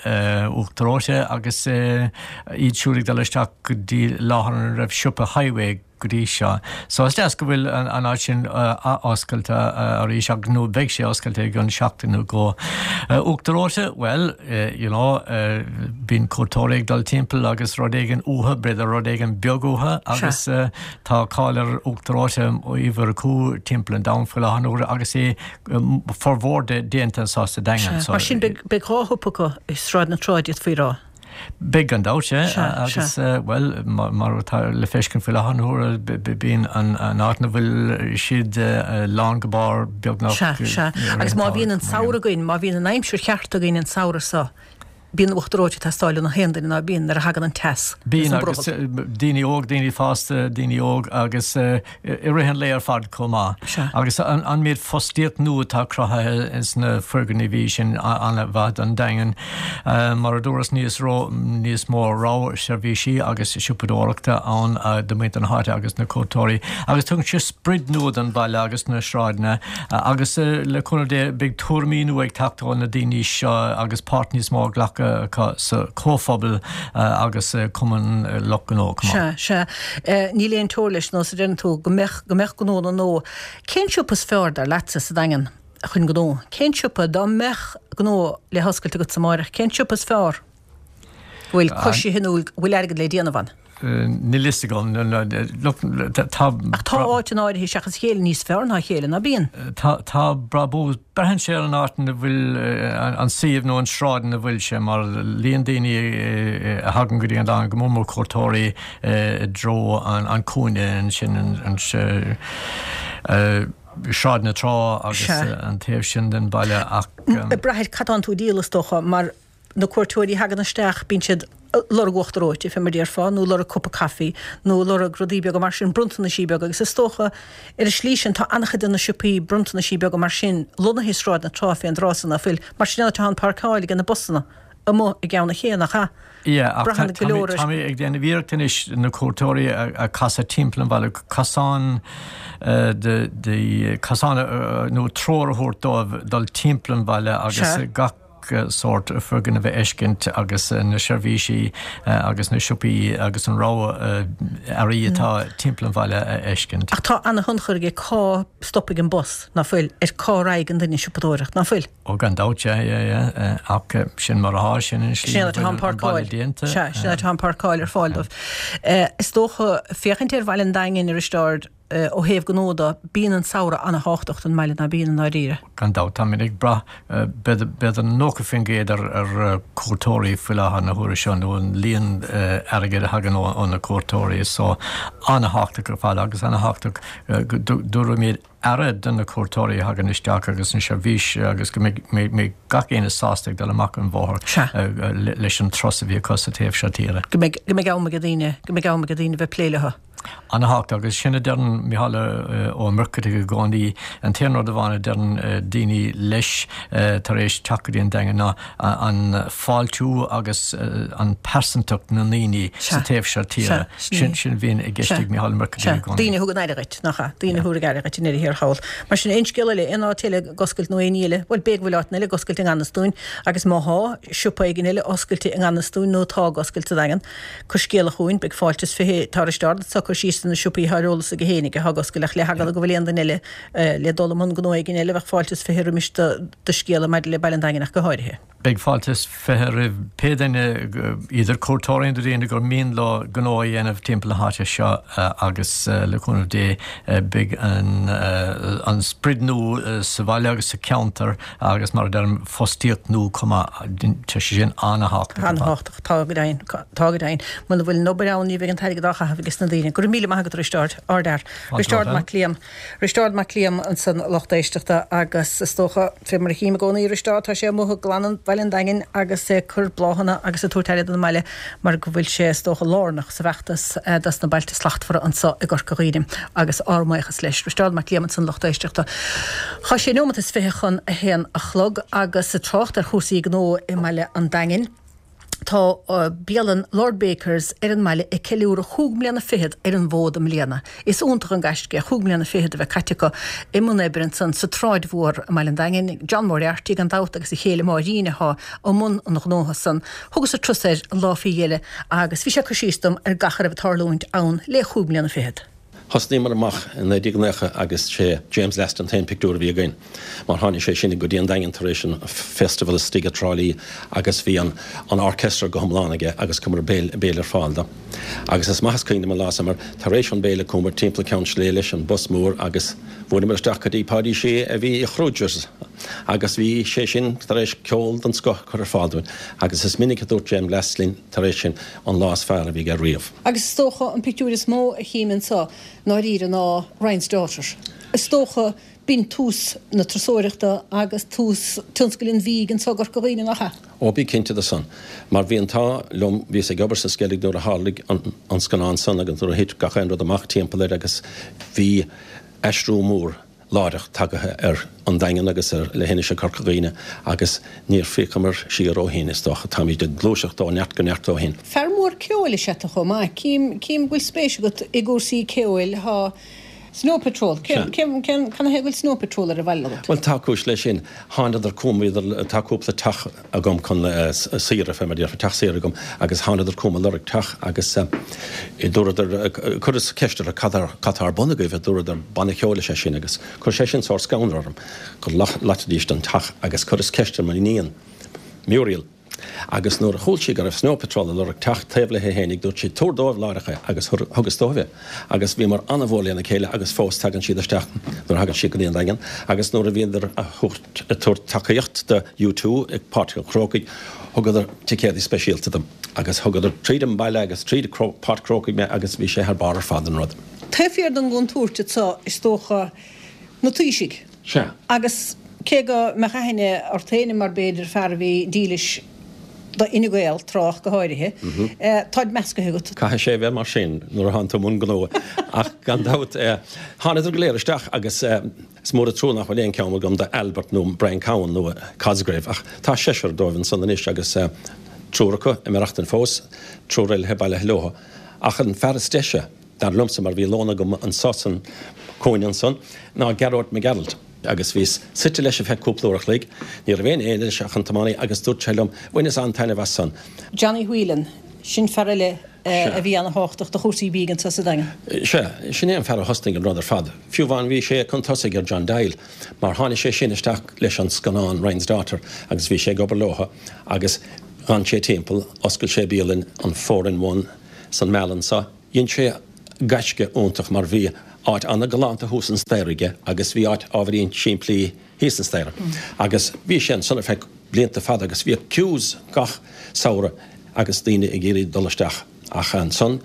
uachtar reoite agus iad siúd ag dul isteach go dtí láthair ina raibh siopa Highway go dtí seo. So is deas go bhfuil an áit sin ath-oscailte arís ach nó beidh sé oscailte i gcionn seachtain nó dhó. Uachtar reoite, bhuel, you know, bíonn cuairteoirí ag dul timpeall agus rud éigin uathu, b'fhéidir rud éigin beag uathu agus tá cáil ar uachtar reoite Uí Mhurchú timpeall an domhain faoi láthair na huaire agus é formhór de déanta anseo sa Daingean. Mar sin beidh dhá shiopa acu i Sráid na Trá d'fhéadfaí a rá. Beidh gan dabht, sea. Agus, bhuel, mar atá le feiscint faoi láthair na huaire, bíonn an áit ina bhfuil siad lán go barr beagnach. Sea, sea. Agus má bhíonn an samhradh againn, má bhíonn an aimsir cheart againn an samhradh seo, Bíonn uachtar reoite ag teastáil ó na haon duine ná bíonn nuair a thagann an teas agus Bíonn an agus brothall. daoine óg, daoine fásta, daoine óg agus i rith an lae ar fad chomh maith. Sea. Agus an méid fostaíocht nua atá cruthaithe sna foirgnimh sin an-mhaith don Daingean. Mar a dúras níos ró, níos mó rogha seirbhísí agus siopadóireachta ann do mhuintir na háite agus na cuairteoirí. Agus tugann sé sprid nua don bhaile agus na sráideanna. Agus le cúnamh Dé beidh tuairimí nua ag teacht ó na daoine seo agus páirt níos mó á glacadh acu sa chomhphobal agus cumann lucht gnó chomh maith. Sea, sea. Níl aon teora leis nós a deireann tú, go mbeadh, go mbeadh gnónna nua. Cén siopa is fearr dar leatsa sa Daingean chun gnó? Cén siopa, dá mbeadh gnó le hoscailt agatsa amáireach, cén siopa is fearr? Go bhfuil coisithe nó go bhfuil airgead le déanamh ann? Níl fhios agam. Look, tá. Ach tá áiteanna áirithe seachas a chéile níos fearr ná a chéile, ná bíonn? Tá, tá brabús. Braitheann sé ar an áit ina bhfuil, an suíomh nó an sráid ina bhfuil sé, mar líon daoine a thagann go dtí an Daingean, go mór mór cuairteoirí i dtreo an cúinne ansin, an Sráid na Trá agus an taobh sin den bhaile ach. Ag brath ar cad tánn tú a díol is dócha, mar na cuairteoirí a thagann isteach, bíonn siad ag lorg uachtar reoite, fé mar a déarfá, nó lorg cupa caife, nó lorg rudaí beaga mar sin, bronntanaisí beaga, agus is dócha, ar an slí sin, tá an-chuid de na siopaí bronntanaisí beaga mar sin lonnaithe i Sráid na Trá fén dtráth san, ná fuil? Mar sin an áit atá an páirceáil ag na busanna amuigh i gCeann an Ché, nach ea? Yeah, ach Braitheann go leor ar. tá mé ag déanamh iarracht anois na cuairteoirí a chasadh timpeall an bhaile, cosán de, de, cosán nó treoir a thabhairt dóibh dul timpeall an bhaile agus gach sórt foirgneamh a fheiscint agus na seirbhísí agus na siopaí agus an rogha earraí atá timpeall an bhaile a fheiscint. Ach tá ana-thionchar aige cá stopfaidh an bus, ná fuil, ar cá raghaidh an duine ag siopadóireacht, ná fuil? Ó gan dabht, yeah, yeah, yeah, ach sin mar atá, sin an slí Sin an áit atá an páirceáil déanta. Sea, sin an áit atá an páirceáil ar fáil dóibh. Is dócha, féachaint ar Bhaile an Daingin, a Risteáird, Ó thaobh gnó de, bíonn an samhradh ana-thábhachtach don mbaile, ná bíonn, i ndáiríre? Gan dabht, táimid ag brath b'fhéidir 90% ar ar cuairteoirí faoi láthair na huaire seo, nó an líon airgid a thagann ó na cuairteoirí, so ana-thábhachtach ar fad agus ana-thábhachtach go dtabharfaimid aire do na cuairteoirí a thagann isteach agus an seirbhís agus go mbeidh gach éinne sásta ag dul amach an bhóthar leis an turas a bhí acu sa taobh seo tíre. Go mbeidh am ag daoine, go mbeidh am ag daoine bheith ag plé leo. Ana-thábhachtach, agus sin a deireann Micheál Ó Muircheartaigh i gcónaí, an t-aon rud amháin a deireann daoine leis tar éis teacht go dtí an Daingean ná an fáiltiú agus an pearsantacht na ndaoine sa taobh seo tíre. Sin sin a bhíonn i gceist ag Micheál Ó Muircheartaigh i gcónaí. Daoine a thugann aire dhuit, nach ea? Daoine a thabharfaidh aire dhuit i ndeireadh thiar thall. Mar sin, aon scéal eile, aon áit eile ag oscailt nó aon ní eile, bhuel, b'fhéidir go bhfuil áiteanna eile ag oscailt i ngan fhios dúinn agus má thá siopa éigin eile oscailte i ngan fhios dúinn nó atá ag oscailt sa Daingean, Cuir scéala chugainn, beidh fáilte is 20 Tá Risteárd anseo ag cur síos ar na siopaí atá ar eolas aige fhéinig atá ag oscailt ach le heagla go bhfuil aon duine eile le dul i mbun gnó éigin eile bheadh fáilte is 20 roimis do scéala maidir le Baile an Daingin ach go háirithe. Beidh fáilte is 20 roimh pé duine, idir cuairteoirí nó daoine gur mian leo gnó a dhéanamh timpeall na háite seo agus le cúnamh Dé beidh an sprid nua sa bhaile agus sa cheantar agus mar a deirim fostaíocht nua chomh maith, tá sé sin an-thábhachtach ar fad. Tá go deimhin. Tá go deimhin. Muna bhfuil an obair ann ní bheidh an t-airgead á chaitheamh ages na daoine. Go raibh míle maith agat a Risteáird. Ardfhear. Risteárd Mac Liam. Risteárd Mac Liam ansan a lucht éisteachta agus is dócha, fé mar a chím i gcónaí Risteárd, tá sé amuigh ag glanadh Bhaile an Daingin agus ag cur bláthanna agus ag tabhairt aire don mbaile mar go bhfuil sé is dócha lárnach sa bhfeachtas dos na Bailte Slachtmhara anso i gCorca Dhuibhne agus ár mbuíochas leis. Risteárd Mac Liam ansan lucht éisteachta. Tá sé neomat is 20 chun a haon a chlog agus ag trácht ar chúrsaí gnó i mBaile an Daingin. Tá bialann Lord Bakers ar an mbaile ag ceiliúradh chúig mbliana fichead ar an bhfód i mbliana. Is iontach an gaisce é chúig mbliana fichead a bheith caite acu i mbun oibre ansan sa tSráid Mhór i mBaile an Daingin. John Moriarty gan dabht agus a chéile Máirín atá i mbun an ghnótha san. Thugas-sa turas air an lá faoi dheireadh agus bhí sé ag cur síos dom ar gach a raibh ag tarlúint ann le chúig mbliana fichead. Thosnaíomar amach i 1990 agus sé James Last an t-aon pictiúr a bhí againn mar tháinig sé sin go dtí an Daingean tar éis an Festival istigh i dTrá Lí agus bhí an an orchestra go hiomlán aige agus chuireamar béile béile ar fáil dó. Agus is maith is cuimhin liom an lá san mar tar éis an béile chuamar timpeall Ceann Sléibhe leis an bus mór agus bhuaileamar isteach go dtí Páidí Sé a bhí i Kruger's agus bhí sé sin tar éis ceol den scoth a chur ar fáil dúinn agus is minic a dúirt James Last linn tar éis sin an lá is fearr a bhí aige riamh. Agus is dócha an pictiúr is mó a chím anseo ndáiríre ná Ryan's Daughter. Is dócha b'in tús na turasóireachta agus tús tionscail an bhídh anseo i gCorca Dhuibhne, nach ea? Ó, bí cinnte de san. Mar bhí an t-ádh liom, bhíos ag obair sa Sceilg nuair a tharlaigh an scannán san agus nuair a thit gach aon rud amach timpeall air agus bhí aistriú mór láithreach tagaithe ar an Daingean agus ar leithinis Chorca Dhuibhne agus níor phiocamar siar ó shin, is dócha. Táimid ag gluaiseacht ó neart go neart ó shin. Fear mór ceoil is ea tú chomh maith. Cím, cím go bhfuil spéis agat i gcúrsaí ceoil. Tá Snow Patrol, cén, cén, cén, cad ina thaobh go bhfuil Snow Patrol ar an bhaile agat? Bhuel, tá cúis leis sin. Thánadar chugam, bhíodar, tá cúpla teach agam chun saoire, fé mar a déarfá, teach saoire agam agus thánadar chugam ag lorg teach agus dúradar, chuireas ceist orthu cad cad tá ar bun agaibh, dúradar banna ceoil is ea sin agus chuir sé sin sórt scanradh orm go loitfidís an teach agus chuireas ceist ar m'iníon, Muriel, agus nuair a chuala sí go raibh Snow Patrol ag lorg teach taobh léi fhéinig dúirt sí tabhair dóibh láithreach é agus thugas dóibh é agus bhíomar an-mhór lena chéile agus fós tagann siad isteach nuair a thagann siad go dtí an Daingean agus nuair a bhíodar a ag tabhairt tacaíocht do U2 ag Páirc an Chrócaigh, thugadar ticéadaí speisialta dom agus thugadar tríd an mbaile agus tríd Páirc Chrócaigh mé agus bhí sé thar barr ar fad an rud. Taobh thiar den gcontúirt anseo is dócha na taoisigh. Sea. Agus cé go mbeadh aithne ort féin mar b'fhéidir fear a bhí dílis do Fhine Gael tráth go háirithe, táid meascaithe agat. Caithfidh sé a bheith mar sin nuair a thánn tú i mbun gnó ach gan dabht thánadar go léir isteach agus Is mór an trua nach bhfuil aon cheann agam de Albert nó Brian Cowen nó Cosgrave ach tá seisear dóibh ansan anois agus triúr acu ag maireachtaint fós, triúr eile bailithe leo. Ach an fear is deise, dar liomsa, mar bhí lón agam anso san cúinne ansan, ná Gearóid Mac Gearailt. Agus bhíos suite leis ar feadh cúpla uair a chloig, ní raibh aon éinne leis ach an tiománaí agus dúirt sé liom, bhaineas an-taitneamh as san. Johnny Whelan, sin fear eile a bhí ana-thábhachtach do chúrsaí bídh anso sa Daingean. Sea, sin é an fear a thosnaigh an rud ar fad. Fiú amháin bhí sé chun tosaigh ar John Doyle, mar tháinig sé sin isteach leis an scannán Ryan's Daughter agus bhí sé ag obair leotha agus d'fhan sé timpeall, oscail sé bialann, an Four in One, san Meal anso. Dhein sé gaisce iontach mar bhí áit ana-ghalánta thuas an staighre aige agus bhí áit ábhairín simplí thíos an staighre. Agus bhí sé ansan ar feadh blianta fada agus bhíodh queues gach samhradh agus daoine ag iarraidh dul isteach. Ach ansan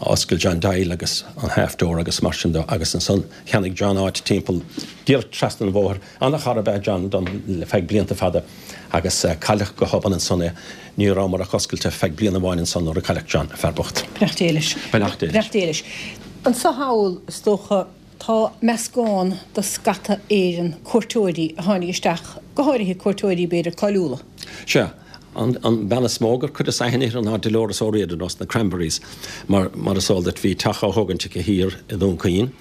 oscail John Doyle agus an Half Door agus mar sin de agus ansan cheannaigh John áit timpeall díreach trasna an bhóthair. Ana-chara ab ea John dom le feadh blianta fada agus cailleadh go hobann ansan é. Ní rabhamar ach oscailte feadh bliain amháin ansan nuair a cailleadh John, fear bocht. Beannacht Dé leis. Beannacht Dé leis. Beannacht Dé leis. Anso thall is dócha. Tá meascán de scata Éireann, cuairteoirí a tháinig isteach, go háirithe cuairteoirí b'fhéidir cáiliúla. Sea, an bean is mó gur chuireas aithne uirthi ná Dolores O'Riordan ós na Cranberries, mar, mar is eol duit, bhí teach á thógaint aici thiar i nDún Chaoin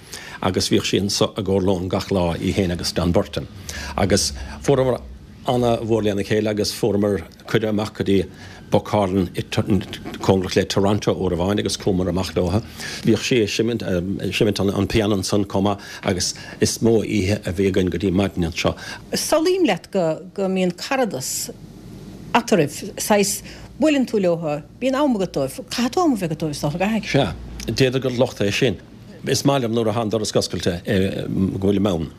agus bhíodh sí anso i gcomhair lóin gach lá, í féin agus Don Burton. Agus fuaireamar ana-mhór lena chéile agus fuaireamar cuireadh amach go dtí Buck Harlan cóngarach le Toronto uair amháin agus chuamar amach leo. Bhíodh sí ag seimint, seimint an pianó ansan chomh maith agus is mó oíche a bhí againn go dtí maidin anseo. Samhlaím leat go, go mbíonn caradas eatarthu, saghas, buaileann tú leo, bíonn am agat dóibh, caithfidh tú am a bheith agat dóibh is dócha, caithfidh? Sea, d'fhéadfadh gur locht é sin. Is maith liom nuair atá an doras oscailte go bhfuilim ann.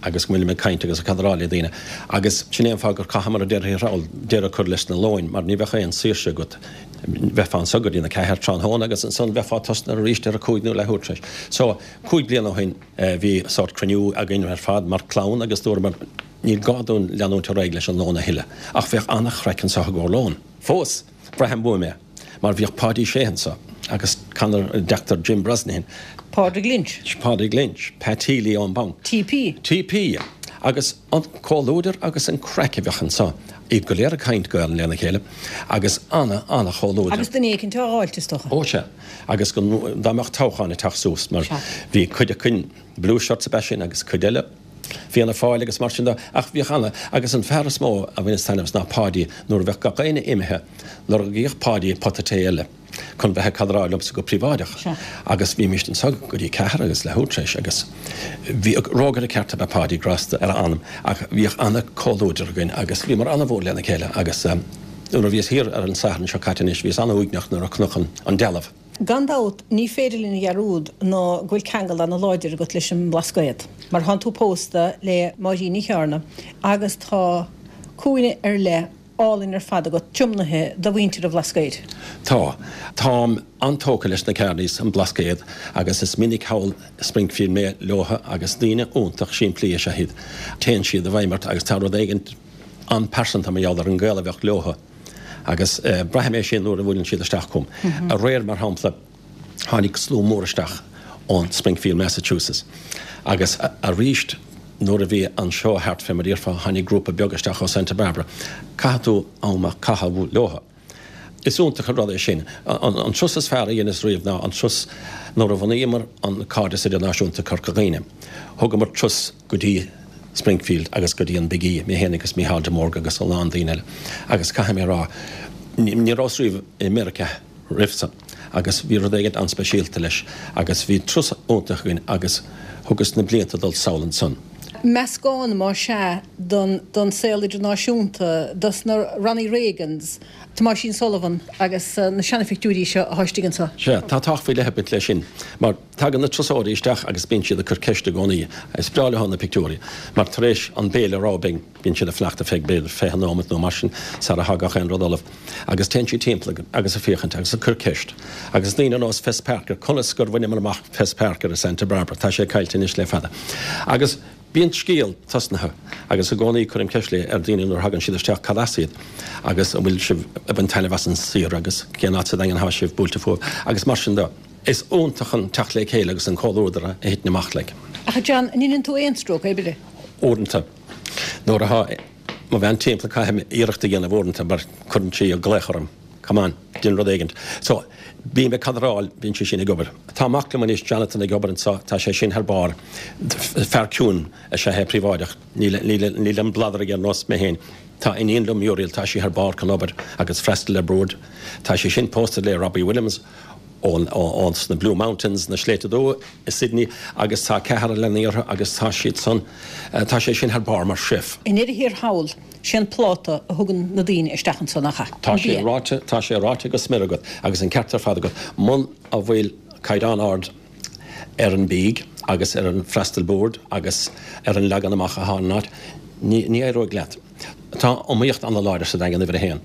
agus go bhfuilim ag caint agus ag cadráil le daoine agus sin é an fáth gur caitheadh, mar a déarfaí thall, deireadh a chur leis na lóin mar ní bheadh aon saoirse agat. Bheifeá anso go dtí na ceathair tráthnóna agus ansan bheifeá tosnaithe arís ar a cúig nó leathuair tar éis. So, cúig bliana ó shin bhí sórt cruinniú againn ar fad mar chlann agus dúramar níl gá dúinn leanúint ar aghaidh leis an lón a thuilleadh. Ach bheadh an-chraic anso i gcomhair lóin. Fós, braithim uaim é. Mar bhíodh Páidí Sé anso agus Conor, deachtóir Jim Brosnahan. Pádraig Lynch. Pádraig Lynch, Pat Healy ón mbanc. TP. TP. Agus an comhluadar agus an craic a bheadh anso. Iad go léir ag caint Gaelainn lena chéile agus ana, ana chomhluadar. Agus duine éicint á dháilt, is dócha. Ó sea. Agus go, dá mbeadh toghchán ag teacht suas, mar bhí cuid acu, Blue Shirts ab ea sin agus cuid eile, Fianna Fáil agus mar sin de, ach bhíodh ana, agus an fear is mó a bhaineas taitneamh as ná Páidí, nuair a bheadh gach éinne imithe, lorgaíodh Páidí pota tae eile chun bheith ag cadráil liomsa go príobháideach agus bhímíst anso go dtí ceathair agus leathuair tar éis agus bhíodh, rógaire ceart ab ea Páidí, grásta ar a anam, ach bhíodh ana comhluadar againn agus bhíomar ana mhór lena chéile agus nuair a bhíos thiar ar an Satharn seo caite anois bhíos ana uaigneach nuair a chonac an dealbh. Gan dabht, ní féidir linn a dhearúd ná go bhfuil ceangal ana láidir agat leis an mBlascaod, mar thánn tú pósta le Máirín Ní Chearna agus tá cúinne ar leith álainn ar fad agat tiomnaithe do mhuintir an Bhlascaoid. Tá. Táim an-tógtha leis na Kearneys, an Blascaod, agus is minic thall i Springfield mé leotha agus daoine iontach simplí is ea iad. Téann siad i bhfeidhm ort agus tá rud éigin. an-pearsanta mar gheall ar an gaol a bheadh leothu agus braithim é sin nuair a bhuaileann siad isteach chugam. Aréir, mar shampla, tháinig slua mór isteach ón Springfield, Massachusetts agus arís nuair a bhí an seó thart fé mar a déarfá, tháinig grúpa beag isteach ó Santa Barbara. Caithfidh tú am a chaitheamh leothu. Is iontach an rud é sin. An turas is fearr a dheineas riamh ná an turas nuair a bhunaíomar an Cairdeas Idirnáisiúnta Corca Dhuibhne. Thugamar turas go dtí Springfield agus go dtí an Big E, mé féin agus Mícheál de Mórdha agus a lán daoine eile. Agus caithfidh mé a rá, ní rabhas riamh i Meiriceá roimh san agus bhí rud éigin an-speisialta leis agus bhí turas iontach againn agus thugas na blianta dul sall ansan. Meascán, más ea, don saol idirnáisiúnta, dos na Ronnie Reagans, Tomáisín Sullivan agus na seanaphictiúirí seo atá istigh anseo. Sea, tá tábhacht faoi leith ag baint leis sin, mar tagann na turasóirí isteach agus bíonn siad ag cur ceist i gcónaí. Is breá leo na pictiúirí, mar tar éis an béile a rá bíonn bíonn siad ag fanacht ar feadh b'fhéidir 20 nóimeat nó mar sin sara thagadh aon rud ullamh. Agus téann siad timpeall agus ag féachaint agus ag cur ceist. Agus daoine ar nós Fess Parker, conas gur bhaineamar amach Fess Parker i Santa Barbara, tá sé caillte anois le fada. Agus bíonn scéal tosnaithe agus i gcónaí cuirim ceist le ar daoine nuair a thagann siad isteach cad as iad agus an bhfuil sibh ag baint taitneamh as an saoire agus cén áit sa Daingean atá sibh buailte fúibh agus mar sin de. Is iontach an teacht le chéile agus an comhluadar a thiteann amach like. Ach a John, an ndeineann tú aon stróc oibre? Uaireanta. Nuair atá mo bhean timpeall caithfidh mé iarracht a dhéanamh uaireanta mar cuireann sí glaoch orm, come on, déan rud éigint. So, bím ag cadráil, bíonn sí sin ag obair. Tá mac liom anois, Jonathan, ag obair anseo, tá sé sin thar barr. Fear ciúin is ea é, príobháideach. Níl, níl, níl an bladar aige ar nós mé féin. Tá iníon liom, Muriel, tá sí thar barr chun obair agus freastal ar bord. Tá sí sin pósta le Robbie Williams ón, ón, sna Blue Mountains, na Sléibhte Dubha i Sydney agus tá ceathrar leanaí orthu agus tá siad san, tá sé sin thar barr mar chef. I ndeireadh thiar thall, sé an pláta a thugann na daoine isteach anso, nach ea? Tá sé ráite, tá sé ráite go smior agat agus an ceart ar fad agat. Muna bhfuil caighdeán ard ar an bídh agus ar an freastal boird agus ar an leagan amach atá ar an áit, ní, ní éireoidh leat. Tá iomaíocht an-láidir sa Daingean uimhir a haon.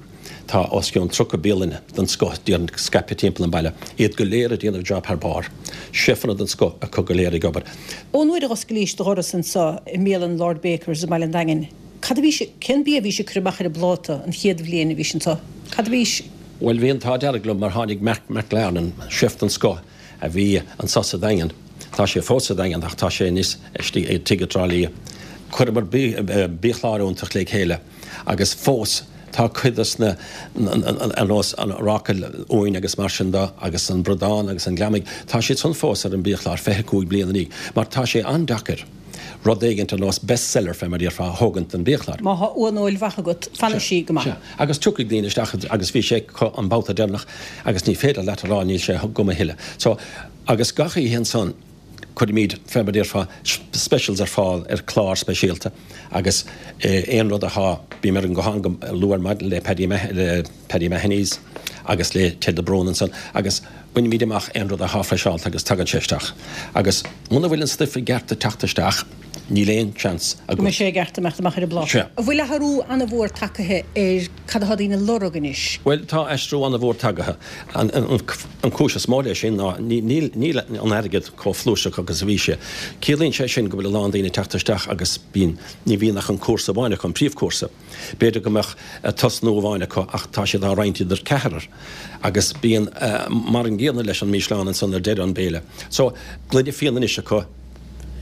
Tá os cionn 30 bialann den scoth déarfainn scaipthe timpeall an bhaile, iad go léir ag déanamh job thar barr. Seifeanna den scoth acu go léir ag obair. Ón uair a dh'oscailís do dhoras anso i mbialann Lord Baker's i mBaile an Daingin, cad a bhís, cén bia a bhís ag cur amach ar an bpláta an chéad bhliain a bhís anso? Cad a bhís. Bhuel, bhí an t-ádh dearg liom mar tháinig Mark McLarnon, chef den scoth, a bhí anso sa Daingean. Tá sé fós sa Daingean ach tá sé anois istigh i Tigh i dTrá Lí. Chuireamar biachlár iontach le chéile agus fós tá cuid dos na, ar nós an ráca uain agus mar sin de agus an bradán agus an gliomaigh, tá siad san fós ar an biachlár 25 bliain ina dhiaidh mar tá sé an-deacair rud éigint ar nós best seller fé mar a déarfá a thógaint den biachlár. Má thá uaineoil mhaith agat, fanfaidh sí go maith. Sea, agus tiocfaidh daoine isteach agus bhí sé acu an babhta deireanach agus ní féidir leat a rá níl sé agam a thuilleadh. So, agus gach oíche ansan cuirimid, fé mar a déarfá, specials ar fáil ar chlár speisialta agus aon rud atá, bím ar an nguthán go luath ar maidin le Paddy le Paddy Mahoney's agus le Ted de Brún ansan agus bainimid amach aon rud atá freiseálta agus tagann sé isteach. Agus muna bhfuil an stuif i gceart ag teacht isteach, níl aon seans agat. Go mbeidh sé i gceart imeacht amach ar an bpláta. Sea. An bhfuil athrú an-mhór tagaithe ar cad atá daoine ag lorg anois? Bhuel, tá aistriú an-mhór tagaithe. An cúis is mó leis sin ná níl an airgead chomh flúirseach agus a bhí sé. Ciallaíonn sé sin go bhfuil a lán daoine ag teacht isteach agus bíonn, ní bhíonn ach an cúrsa amháin acu, an príomhchúrsa. B'fhéidir go mbeadh tosnú amháin acu ach tá siad á roinnt idir ceathrar agus bíonn mar an gcéanna leis an mísleán ansan ar deireadh an béile. So, gloine fíona anois acu,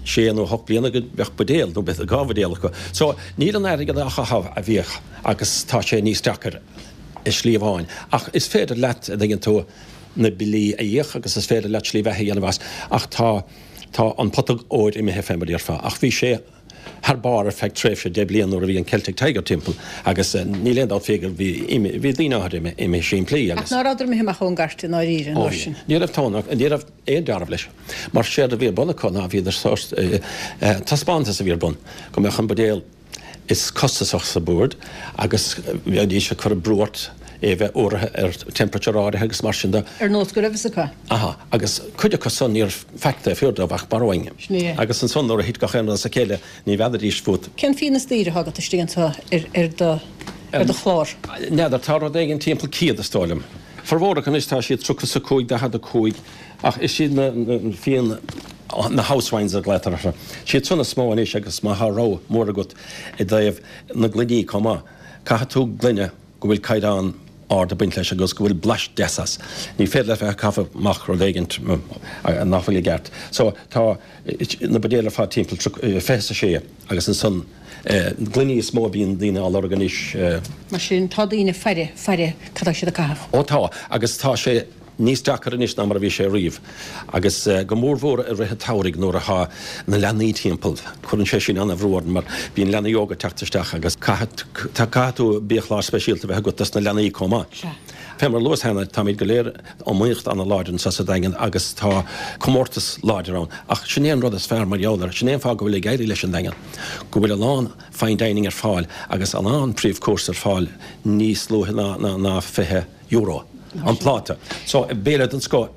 sé nó hocht bliana go bheadh buidéal nó b'fhéidir dhá bhuidéal acu. So, níl an airgead á chaitheamh a bhíodh agus tá sé níos deacair i slí amháin. Ach is féidir leat, a dtuigeann tú, na billí a íoc agus is féidir leat slí bheatha a dhéanamh as ach tá, tá an pota óir imithe fé mar a déarfá. Ach bhí sé. thar barr ar feadh tréimhse 10 bliain nuair a bhí an Celtic Tiger timpeall agus níl aon dabht faoi gur bhí bhí daoine áirithe imithe simplí agus. Ach ná rabhadar imithe amach ón gcairt i ndáiríre an uair sin? Ní raibh tón ní raibh aon dealramh leis mar séard a bhí ar bun acu ná bhíodar sórt taispeántas a bhí ar bun go mbeadh an buidéal is costasach sa bord agus bheidís ag cur brú ort é a bheith fuaraithe ar temperature áirithe agus mar sin de. Ar nós go raibh fhios acu. Aha, agus cuid acu san níor faic taobh thiar dóibh ach borrowing. Sin é. Agus ansan nuair a thit gach aon rud as a chéile ní bhfeadaidís fút. Cén fíon is daoire atá agat istigh anseo ar do ar do chlár? N'fheadar, tá rud éigin timpeall 100 is dóigh liom. Formhór acu anois tá siad 35, 45 ach is iad na fíon na house wines a ghlaotar orthu. Siad san is mó anois agus má thá rogha mór agat i dtaobh na gloiní chomh maith. Caithfidh tú gloine go bhfuil caighdeán ard ag baint leis agus go bhfuil blais deas as. Ní féidir leat bheith ag caitheamh amach rud éigint nach bhfuil i gceart. So tá na buidéil ar fad timpeall 26 agus ansan gloiní is mó a bhíonn daoine á lorg anois. Mar sin tá daoine ag faire, faire cad tá siad ag caitheamh. Ó tá, agus tá sé níos deacair anois ná mar a bhí sé riamh, agus go mórmhór i rith an tsamhraidh nuair atá na leanaí timpeall. Cuireann sé sin an-bhrú orainn mar bíonn leanaí óga ag teacht isteach agus caithfidh tú biachlár speisialta a bheith agat dos na leanaí chomh maith. Fé mar a luas cheana, táimid go léir iomaíocht an-láidir anseo sa Daingean agus tá comórtas láidir ann. Ach sin é an rud is fearr mar gheall air, sin é an fáth go bhfuil ag éirí leis an Daingean, go bhfuil a lán fine dining ar fáil agus a lán príomhchúrsa ar fáil níos luaithe ná 20 euro an pláta. So, béile den scoth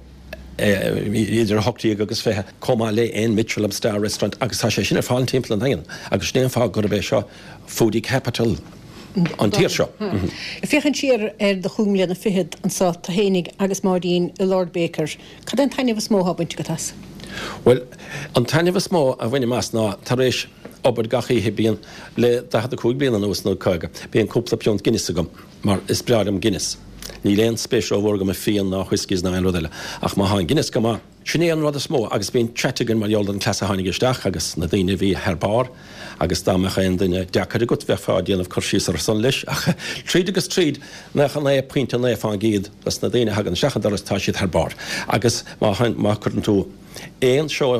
idir 18 agus 20, chomh maith le aon Michelin star restaurant agus tá sé sin ar fáil timpeall an Daingin agus sin é an fáth gurb é seo foodie capital an tír seo. Ag féachaint siar ar do chúig mbliana fichead anseo, tú fhéinig agus Máirín i Lord Baker, cad é an taitneamh is mó atá bainte agat as? Bhuel, an taitneamh is mó a bhainim as ná tar éis obair gach oíche bíonn, le 45 bliain anuas nó 50, bíonn cúpla piúnt Guinness agam. Mar is breá liom Guinness. Níl aon spéis rómhór agam i fíon ná whiskies ná aon rud eile. Ach má tá an Guinness go maith, sin é an rud is mó agus bíonn chat againn mar gheall ar an cleas a tháinig isteach agus na daoine a bhí thar barr agus dá mbeadh aon duine deacair agat bheifeá ag déanamh cur síos ar san leis ach tríd agus tríd 99.9 fán gcéad dos na daoine a thagann isteach an doras tá siad thar barr agus má má chuireann tú aon seó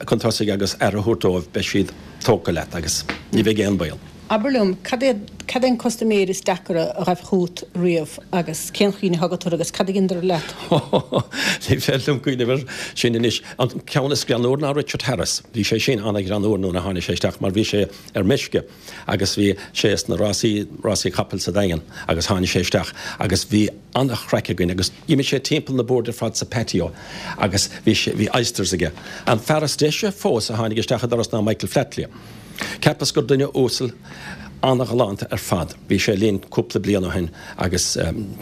chun tosaigh agus aire a thabhairt dóibh, beidh siad tógtha leat agus ní bheidh aon baol. Abair liom, cad é, cad é an custaiméir is deacaire a ghaibh chugat riamh agus cén chuimhne atá agat orthu agus cad a dheineadar leat? Ní féidir liom cuimhneamh air sin anois. An ceann is greannúr ná Richard Harris. Bhí sé sin an-ghreannúr nuair a tháinig sé isteach mar bhí sé ar meisce agus bhí sé sna rásaí, rásaí capaill sa Daingean agus tháinig sé isteach agus bhí an-chraic againn agus d'imigh sé timpeall na boird ar fad sa patio agus bhí sé, bhí oysters aige. An fear is deise fós a tháinig isteach an doras ná Michael Flatley. Cheapas gur duine uasal an-ghalánta ar fad. Bhí sé linn cúpla bliain ó shin agus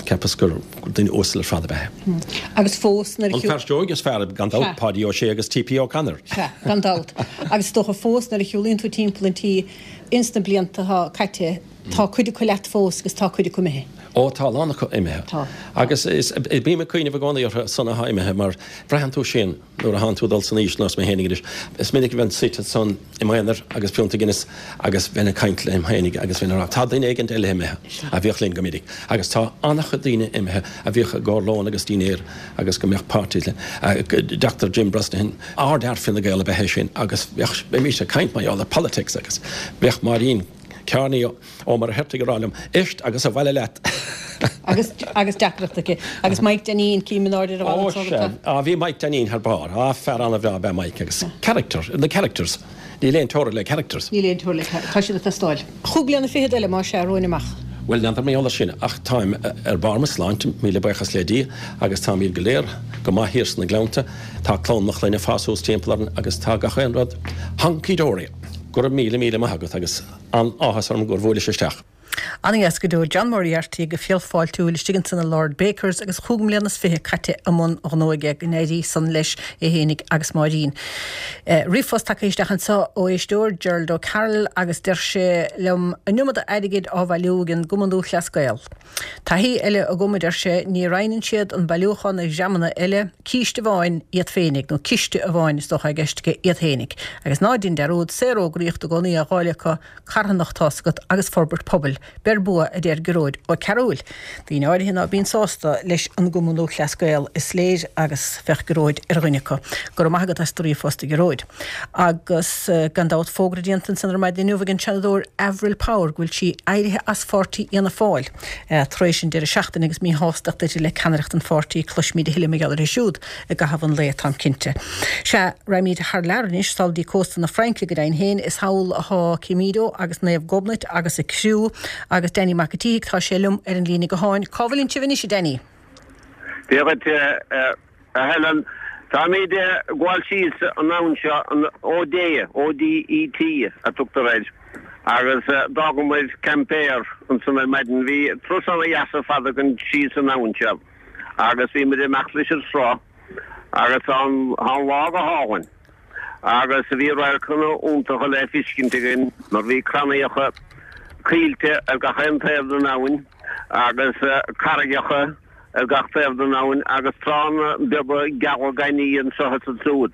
cheapas gur duine uasal ar fad ab ea é. Agus fós nuair a. An fear seoigh is fearr gan dabht, Páidí Ó Sé agus T.P. O'Connor. Sea, gan dabht. Agus is dócha fós nuair a shiúlaíonn tú timpeall an tí ins na blianta atá caite, Tá cuid acu leat fós agus tá cuid acu imithe. Ó, tá a lán acu imithe. Tá. Agus is, bím ag cuimhneamh i gcónaí orthu san atá imithe mar braitheann tú sin nuair a thánn tú ag dul san aois nós mé fhéinig anois. Is minic a bheinn suite ansan i m'aonar agus piúnta Guinness agus bheinn ag caint liom fhéinig agus bheinn ag rá, tá duine éigint eile imithe a bhíodh linn go minic. Agus tá an-chuid daoine imithe a bhíodh i gcomhair lón agus dinnéir agus go mbeadh parties linn. Doctor Jim Brosnahan, ardfhear Fine Gael ab ea é sin agus bheadh, bheimis ag caint mar gheall ar politics agus bheadh Máirín, Kearney Ó Muircheartaigh ag rá liom, Éist agus abhaile leat! Agus, agus deacracht aici. Agus Mike Deneen, cím in airde ar a Ó, sea. Á, bhí Mike Deneen thar barr. Á, fear an-bhreá ab ea Mike agus character, na characters. Níl aon teora le characters. Níl aon teora le characters. Tá siad ag teastáil. Chúig bliana fichead eile, más ea, romhainn amach. Bhuel, n'fheadar mar gheall air sin, ach táim ar barr mo shláinte, míle buíochas le Dia, agus táimid go léir go maith thiar sna Gleannta. Tá clann mo chlainne ag fás suas timpeall orainn agus tá gach aon rud hunky dory. Go raibh míle míle maith agat agus an-áthas orm gur bhuaileas isteach. Ana-dheas go deo John Moriarty go fial fáiltiúil istigh ansan i Lord Bakers agus chúig mbliana is fiche caite i mbun gnó aige, go n-éirí san leis é fhéinig agus Máirín. Ríomhphost tagtha isteach anso ó éisteoir, Gerald O'Carroll, agus deir sé liom, an iomada airgid á bhailiú ag an gCumann Lúthchleas Gael. Taithí eile agam, a deir sé, ní roinneann siad an bailiúchán ar dhreamanna eile, císte amháin iad féinig, nó ciste amháin is dócha i gceist aige, iad féinig. Agus ná dein dearúd, saorfhógraíocht i gcónaí á dháileadh acu, carthanacht tá's agat, agus forbairt pobail. Beir bua, a deir Gearóid Ó Cearúil. Daoine áirithe ná bíonn sásta leis an gCumann Lúthchleas Gael, is léir, agus bheadh Gearóid ar dhuine acu. Go raibh maith agat as do ríomhphost, a Ghearóid. Agus gan dabht fógra déanta ansan ar maidin inniu ag an Seanadóir Avril Power go bhfuil sí éirithe as pháirtí Fhianna Fáil tar éis an deireadh seachtaine agus míshástacht uirthi le ceannaireacht an pháirtí. Cloisfimid a thuilleadh mar gheall uirthi siúd i gcaitheamh an lae, táim cinnte. Sea, raghaimid thar lear anois, sall dtí cósta na Fraince go deimhin féin. Is thall athá Cimido agus Naomh Gobnait agus a criú agus Danny Mac a' tSíthigh, tá sé liom ar an líne gutháin. Cá bhfuileann sibh anois, a Danny? Dia dhuit, A Helen, táimid ag gabháil síos an abhainn seo, an Odet, O-D-E-T, a tugtar air, agus d'fhágamair Quimper ansan ar maidin. Bhí turas ana-dheas ar fad againn síos an abhainn seo agus bhí muid ag imeacht leis an sruth agus tá an lá go hálainn agus bhí radharcanna iontacha le feiscint againn mar bhí crannaíocha. Coillte ar gach aon taobh den abhainn agus carraigeacha ar gach taobh den abhainn agus tránna beaga geala gainimh anseo is ansúd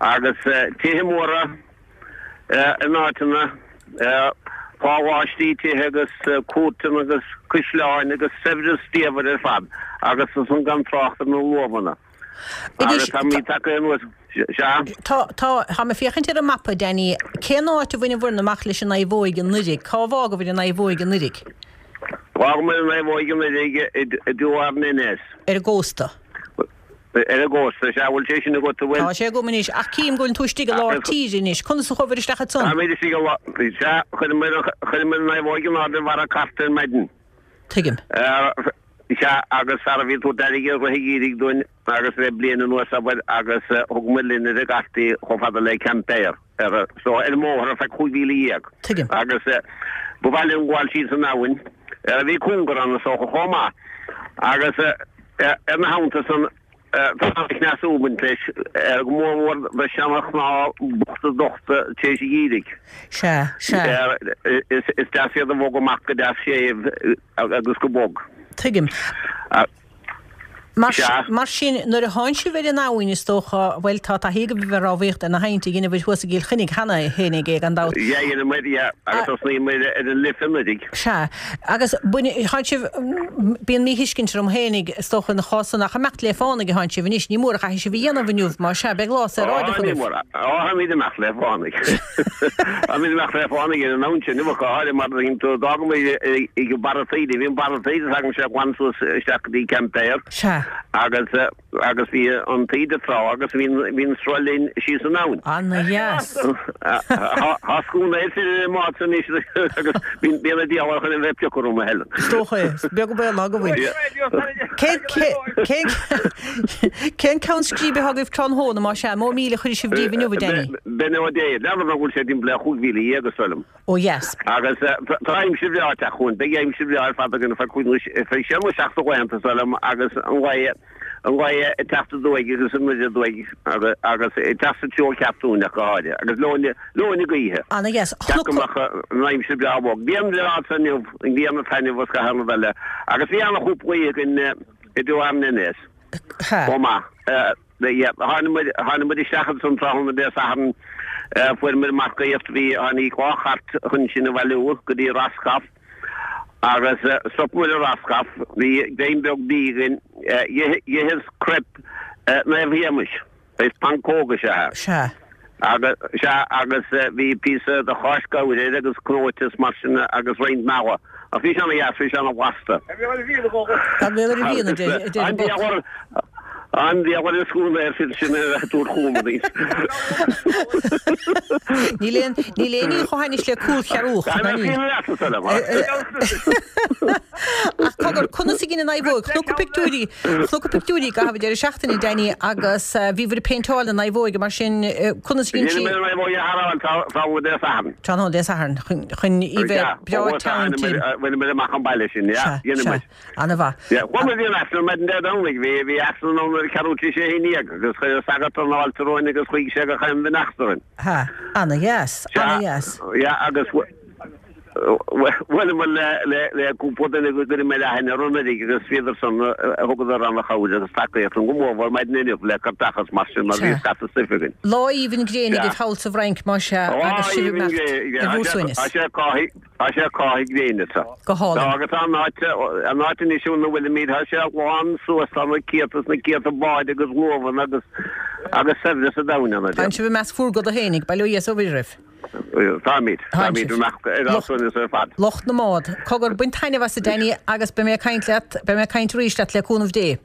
agus tithe móra in áiteanna, páláistí tithe agus cúirteanna agus caisleáin agus saibhreas diamhair ar fad agus ansan gan trácht ar na luamhanna. Agus táimid tagtha anuas, sea. Tá, tá, tá mé ag féachaint ar an mapa, Danny. Cén áit a bhaineabhair amach leis an naomhóig anuiridh? Cá bhfágabhair an naomhóig anuiridh? D'fhágamar an naomhóig anuiridh i Douarnenez. Ar an gcósta. Ar an gcósta, sea. Bhfuil sé sin agat, an bhfuil? Tá sé agam anois, ach cím go bhfuil tú istigh i lár tíre anois. Conas a chuabhair isteach ansan? Táimid istigh i lár, sea, chuireamar an naomhóig in airde ar bharra cairte ar maidin. Tuigim. Sea, agus fear a bhí ag tabhairt airgid i rith an gheimhridh dúinn agus le bliain anuas, abair, agus thug muid linn ar an gcairt í chomh fada le Quimper, ar, so, ar an mbóthar ar feadh 15,000. Tuigim. Agus ba mhaith linn gabháil síos an abhainn, bhí cóngar ann is dócha chomh maith, agus ar na habhanta san, Tá an-chneasú ag baint leis, go mór mhór do sheana-chnámha bochta dochta tar éis an gheimhridh. Sea, sea. Is deas iad a bhogadh amach go deas séimh agus go bog. Tuigim. Mar sin, nuair a thánn sibh ar an abhainn, is dócha, bhuel, tá taithí agaibh ar rámhaíocht ar na haibhnte, dheineabhair thuas i gCill Chainnigh cheana féinig é, gan dabht. Yeah, dheineamair, yeah, agus thosnaíomair ar an Life anuiridh. Sea. Agus thánn sibh, bíonn míthuiscint orm fhéinig, is dócha, ina chás san, ach imeacht le fánaidh a thánn sibh anois, ní mór a chaithfidh sibh a dhéanamh inniu, má sea, beidh lá saoráideach agaibh. Ó, ní mór. Ó, táimid imeacht le fánaidh. Táimid imeacht le fánaidh ar an abhainn sin, inniu, go háirithe mar d'fhágamar ag barra taoide, bhí an barra taoide s'agaimse glan suas isteach go dtí Quimper. Sea. Agus. Agus bhí an taoide ag trá agus bhí an sruth linn síos an abhainn. Ana-dheas. Tá scuaine fir ar an mbád san anois agus bíonn an diabhal chun a bheith ag piocadh orm, a Helen. Is dócha é. Is beag an baol ná go bhfuil. Cén, cén ceann scríbe atá agaibh tráthnóna, más ea? Mó míle a chuirfidh sibh díobh inniu, a Danny? Bénodet, n'fheadar an bhfuil sé timpeall ar 15,000 is dóigh liom. Ó dheas. Agus tá aimsir bhreá ag teacht chugainn. Beidh aimsir bhreá ar fad againn ar feadh cúig nó feadh sé nó seacht de laethanta is dóigh liom agus an ghaoth an ghaoth ag teacht aduaidh agus anoir aduaidh agus ag teacht sa treo ceart dúinn ach go háirithe agus leoithne leoithne gaoithe. Ana dheas. Ceart go mbeadh an aimsir breá bog. Grian bhreá anso inniu, an ghrian ag taitneamh agus gach aon rud eile. Agus bhí ana-chúpla oíche againn i Douarnenez chomh maith. Tháinig muid isteach ansan tráthnóna Dé Sathairn, fuair muid marcaíocht, bhí, tháinig dhá chairt chun sinn a bhailiú go dtí Roscoff agus stop muid i Roscoff, bhí greim beag bídh againn, dh'itheas crepe Naomh Shéamais, is pancóg is ea é. Sea. Agus, sea, agus bhí píosa de cháis gabhair air agus cnóite is mar sin agus roinnt meala. Ach bhí sé ana-dheas, bhí sé ana-bhlasta. Tá béal ar an bhfíon, a deir an boc. An diabhal ar an scuaine air sin sin a dúirt chugam anois. Níl aon níl aon ní chomh hainnis le cúl chearúch, ná níl. Ach cogar, conas a dhein an naomhóg? Chonac pictiúirí, chonac pictiúirí i gcaitheamh an deireadh seachtaine, Danny, agus bhíobhair ag péinteáil na naomhóige, mar sin, conas a dhein sí? Dhein mé an naomhóg a tharrtháil tráthnóna Dé Sathairn. Tráthnóna Dé Sathairn, chun í bheith breá teann tirim. Bhain muid amach an baile sin, yeah, dhein muid. Ana-mhaith. Yeah, chuaigh muid ar Aifreann maidin Dé Domhnaigh. Bhí, bhí Aifreann ann ar ceathrú tar éis a haon dhéag agus chuir an sagart an fháilte romhainn agus chuaigh sé go chaon bheannacht orainn. Ha, ana-dheas, ana-dheas. Yeah, agus bhuaileamar le, le, le cúpla duine go gcuireadh mé aithne orthu anuraidh agus bhíodar san, thugadar ana-chabhair agus tacaíocht dúinn go mórmhór maidin inniu le cairteacha is mar sin mar bhí scata stuif againn. Lá aoibhinn gréine agaibh thall sa bhFrainc, más ea, agus sibh ag imeacht ar bhur suaimhneas. Tá sé cáithigh. Tá sé ag cáitheadh gréine sa. Go hálainn. Tá agus an áit, an áit anois ina bhfuilimid, tá sé lán suas, tá na céadta is na céadta báid agus luamhanna agus, agus saibhreas an domhain ann, a Tánn sibh i measc bhur gcoda fhéinig, bail ó Dhia is ó Mhuire oraibh. Táimid, táimid i measc ar ár suaimhneas ar fad. Lucht na mbád. Cogar, bain taitneamh as a Danny agus beidh mé ag caint leat, beidh mé ag caint arís leat le cúnamh Dé.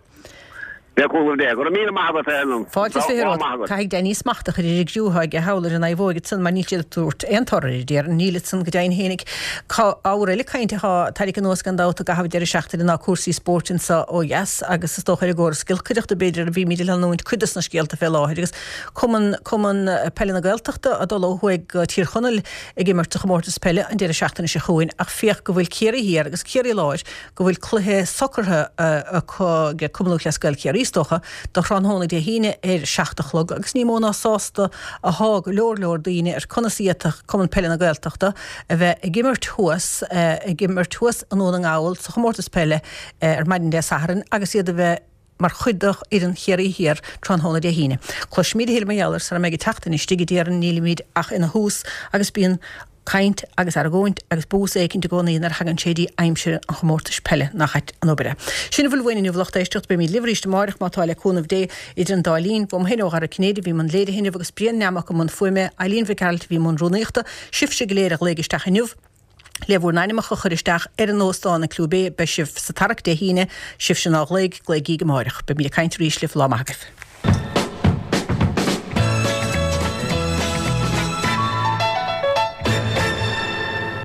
Le cúnamh Dé. Go raibh míle maith agat, a Helen. Fáilte is 20 romhat. Caithfidh Danny smacht a chur ar an gcriú atá aige thall ar an naomhóig ansan mar níl siad ag tabhairt aon toradh air, déarfainn. Níl ansan go deimhin fhéinig. Ábhar eile cainte atá tarraingthe anuas gan dabht i gcaitheamh an deireadh seachtaine ná cúrsaí spóirt anso ó dheas agus is dócha ar an gcóras giolcaireachta b'fhéidir a bhímid ag leanúint cuid dos na scéalta fé láthair agus Cumann Cumann Peile na Gaeltachta ag dul ó thuaidh go Tír Chonaill ag imirt sa chomórtas peile an deireadh seachtaine seo chugainn ach féach go bhfuil Ciarraí Thiar agus Ciarraí Láir go bhfuil cluiche socraithe acu ag Cumann Lúthchleas Gael Ciarraí. Chiarraí is dócha, do thráthnóna Dé hAoine ar 7 a chlog agus ní mó ná sásta athá go leor leor daoine ar conas a d'fhéadfadh Cumann Peile na Gaeltachta a bheith ag imirt thuas ag imirt thuas i nDún na nGall sa chomórtas peile ar maidin Dé Sathairn agus iad a bheith mar chuid de fhoireann Chiarraí Thiar tráthnóna Dé hAoine. Cloisfimid a thuilleadh mar gheall air sara mbeidh an tseachtain istigh a déarfainn, nílimid ach ina thús agus bíonn caint agus argóint agus bús éicint i gcónaí nuair a thagann sé dtí aimsir an chomórtais peile, nach ait an obair é. Sin a bhfuil uainn inniu a lucht éisteachta, beimid libh arís amáireach má tá le cúnamh Dé. Idir an dá linn, uaim féin ó Dhara Cinnéide a bhí i mbun léirithe inniu agus Brian Nammock i mbun fuaime, Eileen Mhic Gearailt a bhí i mbun rúnaíochta, sibhse go léir a ghlaoigh isteach inniu le bhur n-ainmeacha a chur isteach ar an óstán i Clew Bay, beidh sibh sa tarrac Dé hAoine, sibhse nár ghlaoigh, glaoigíg amáireach. Beimid ag caint arís libh, lá maith agaibh.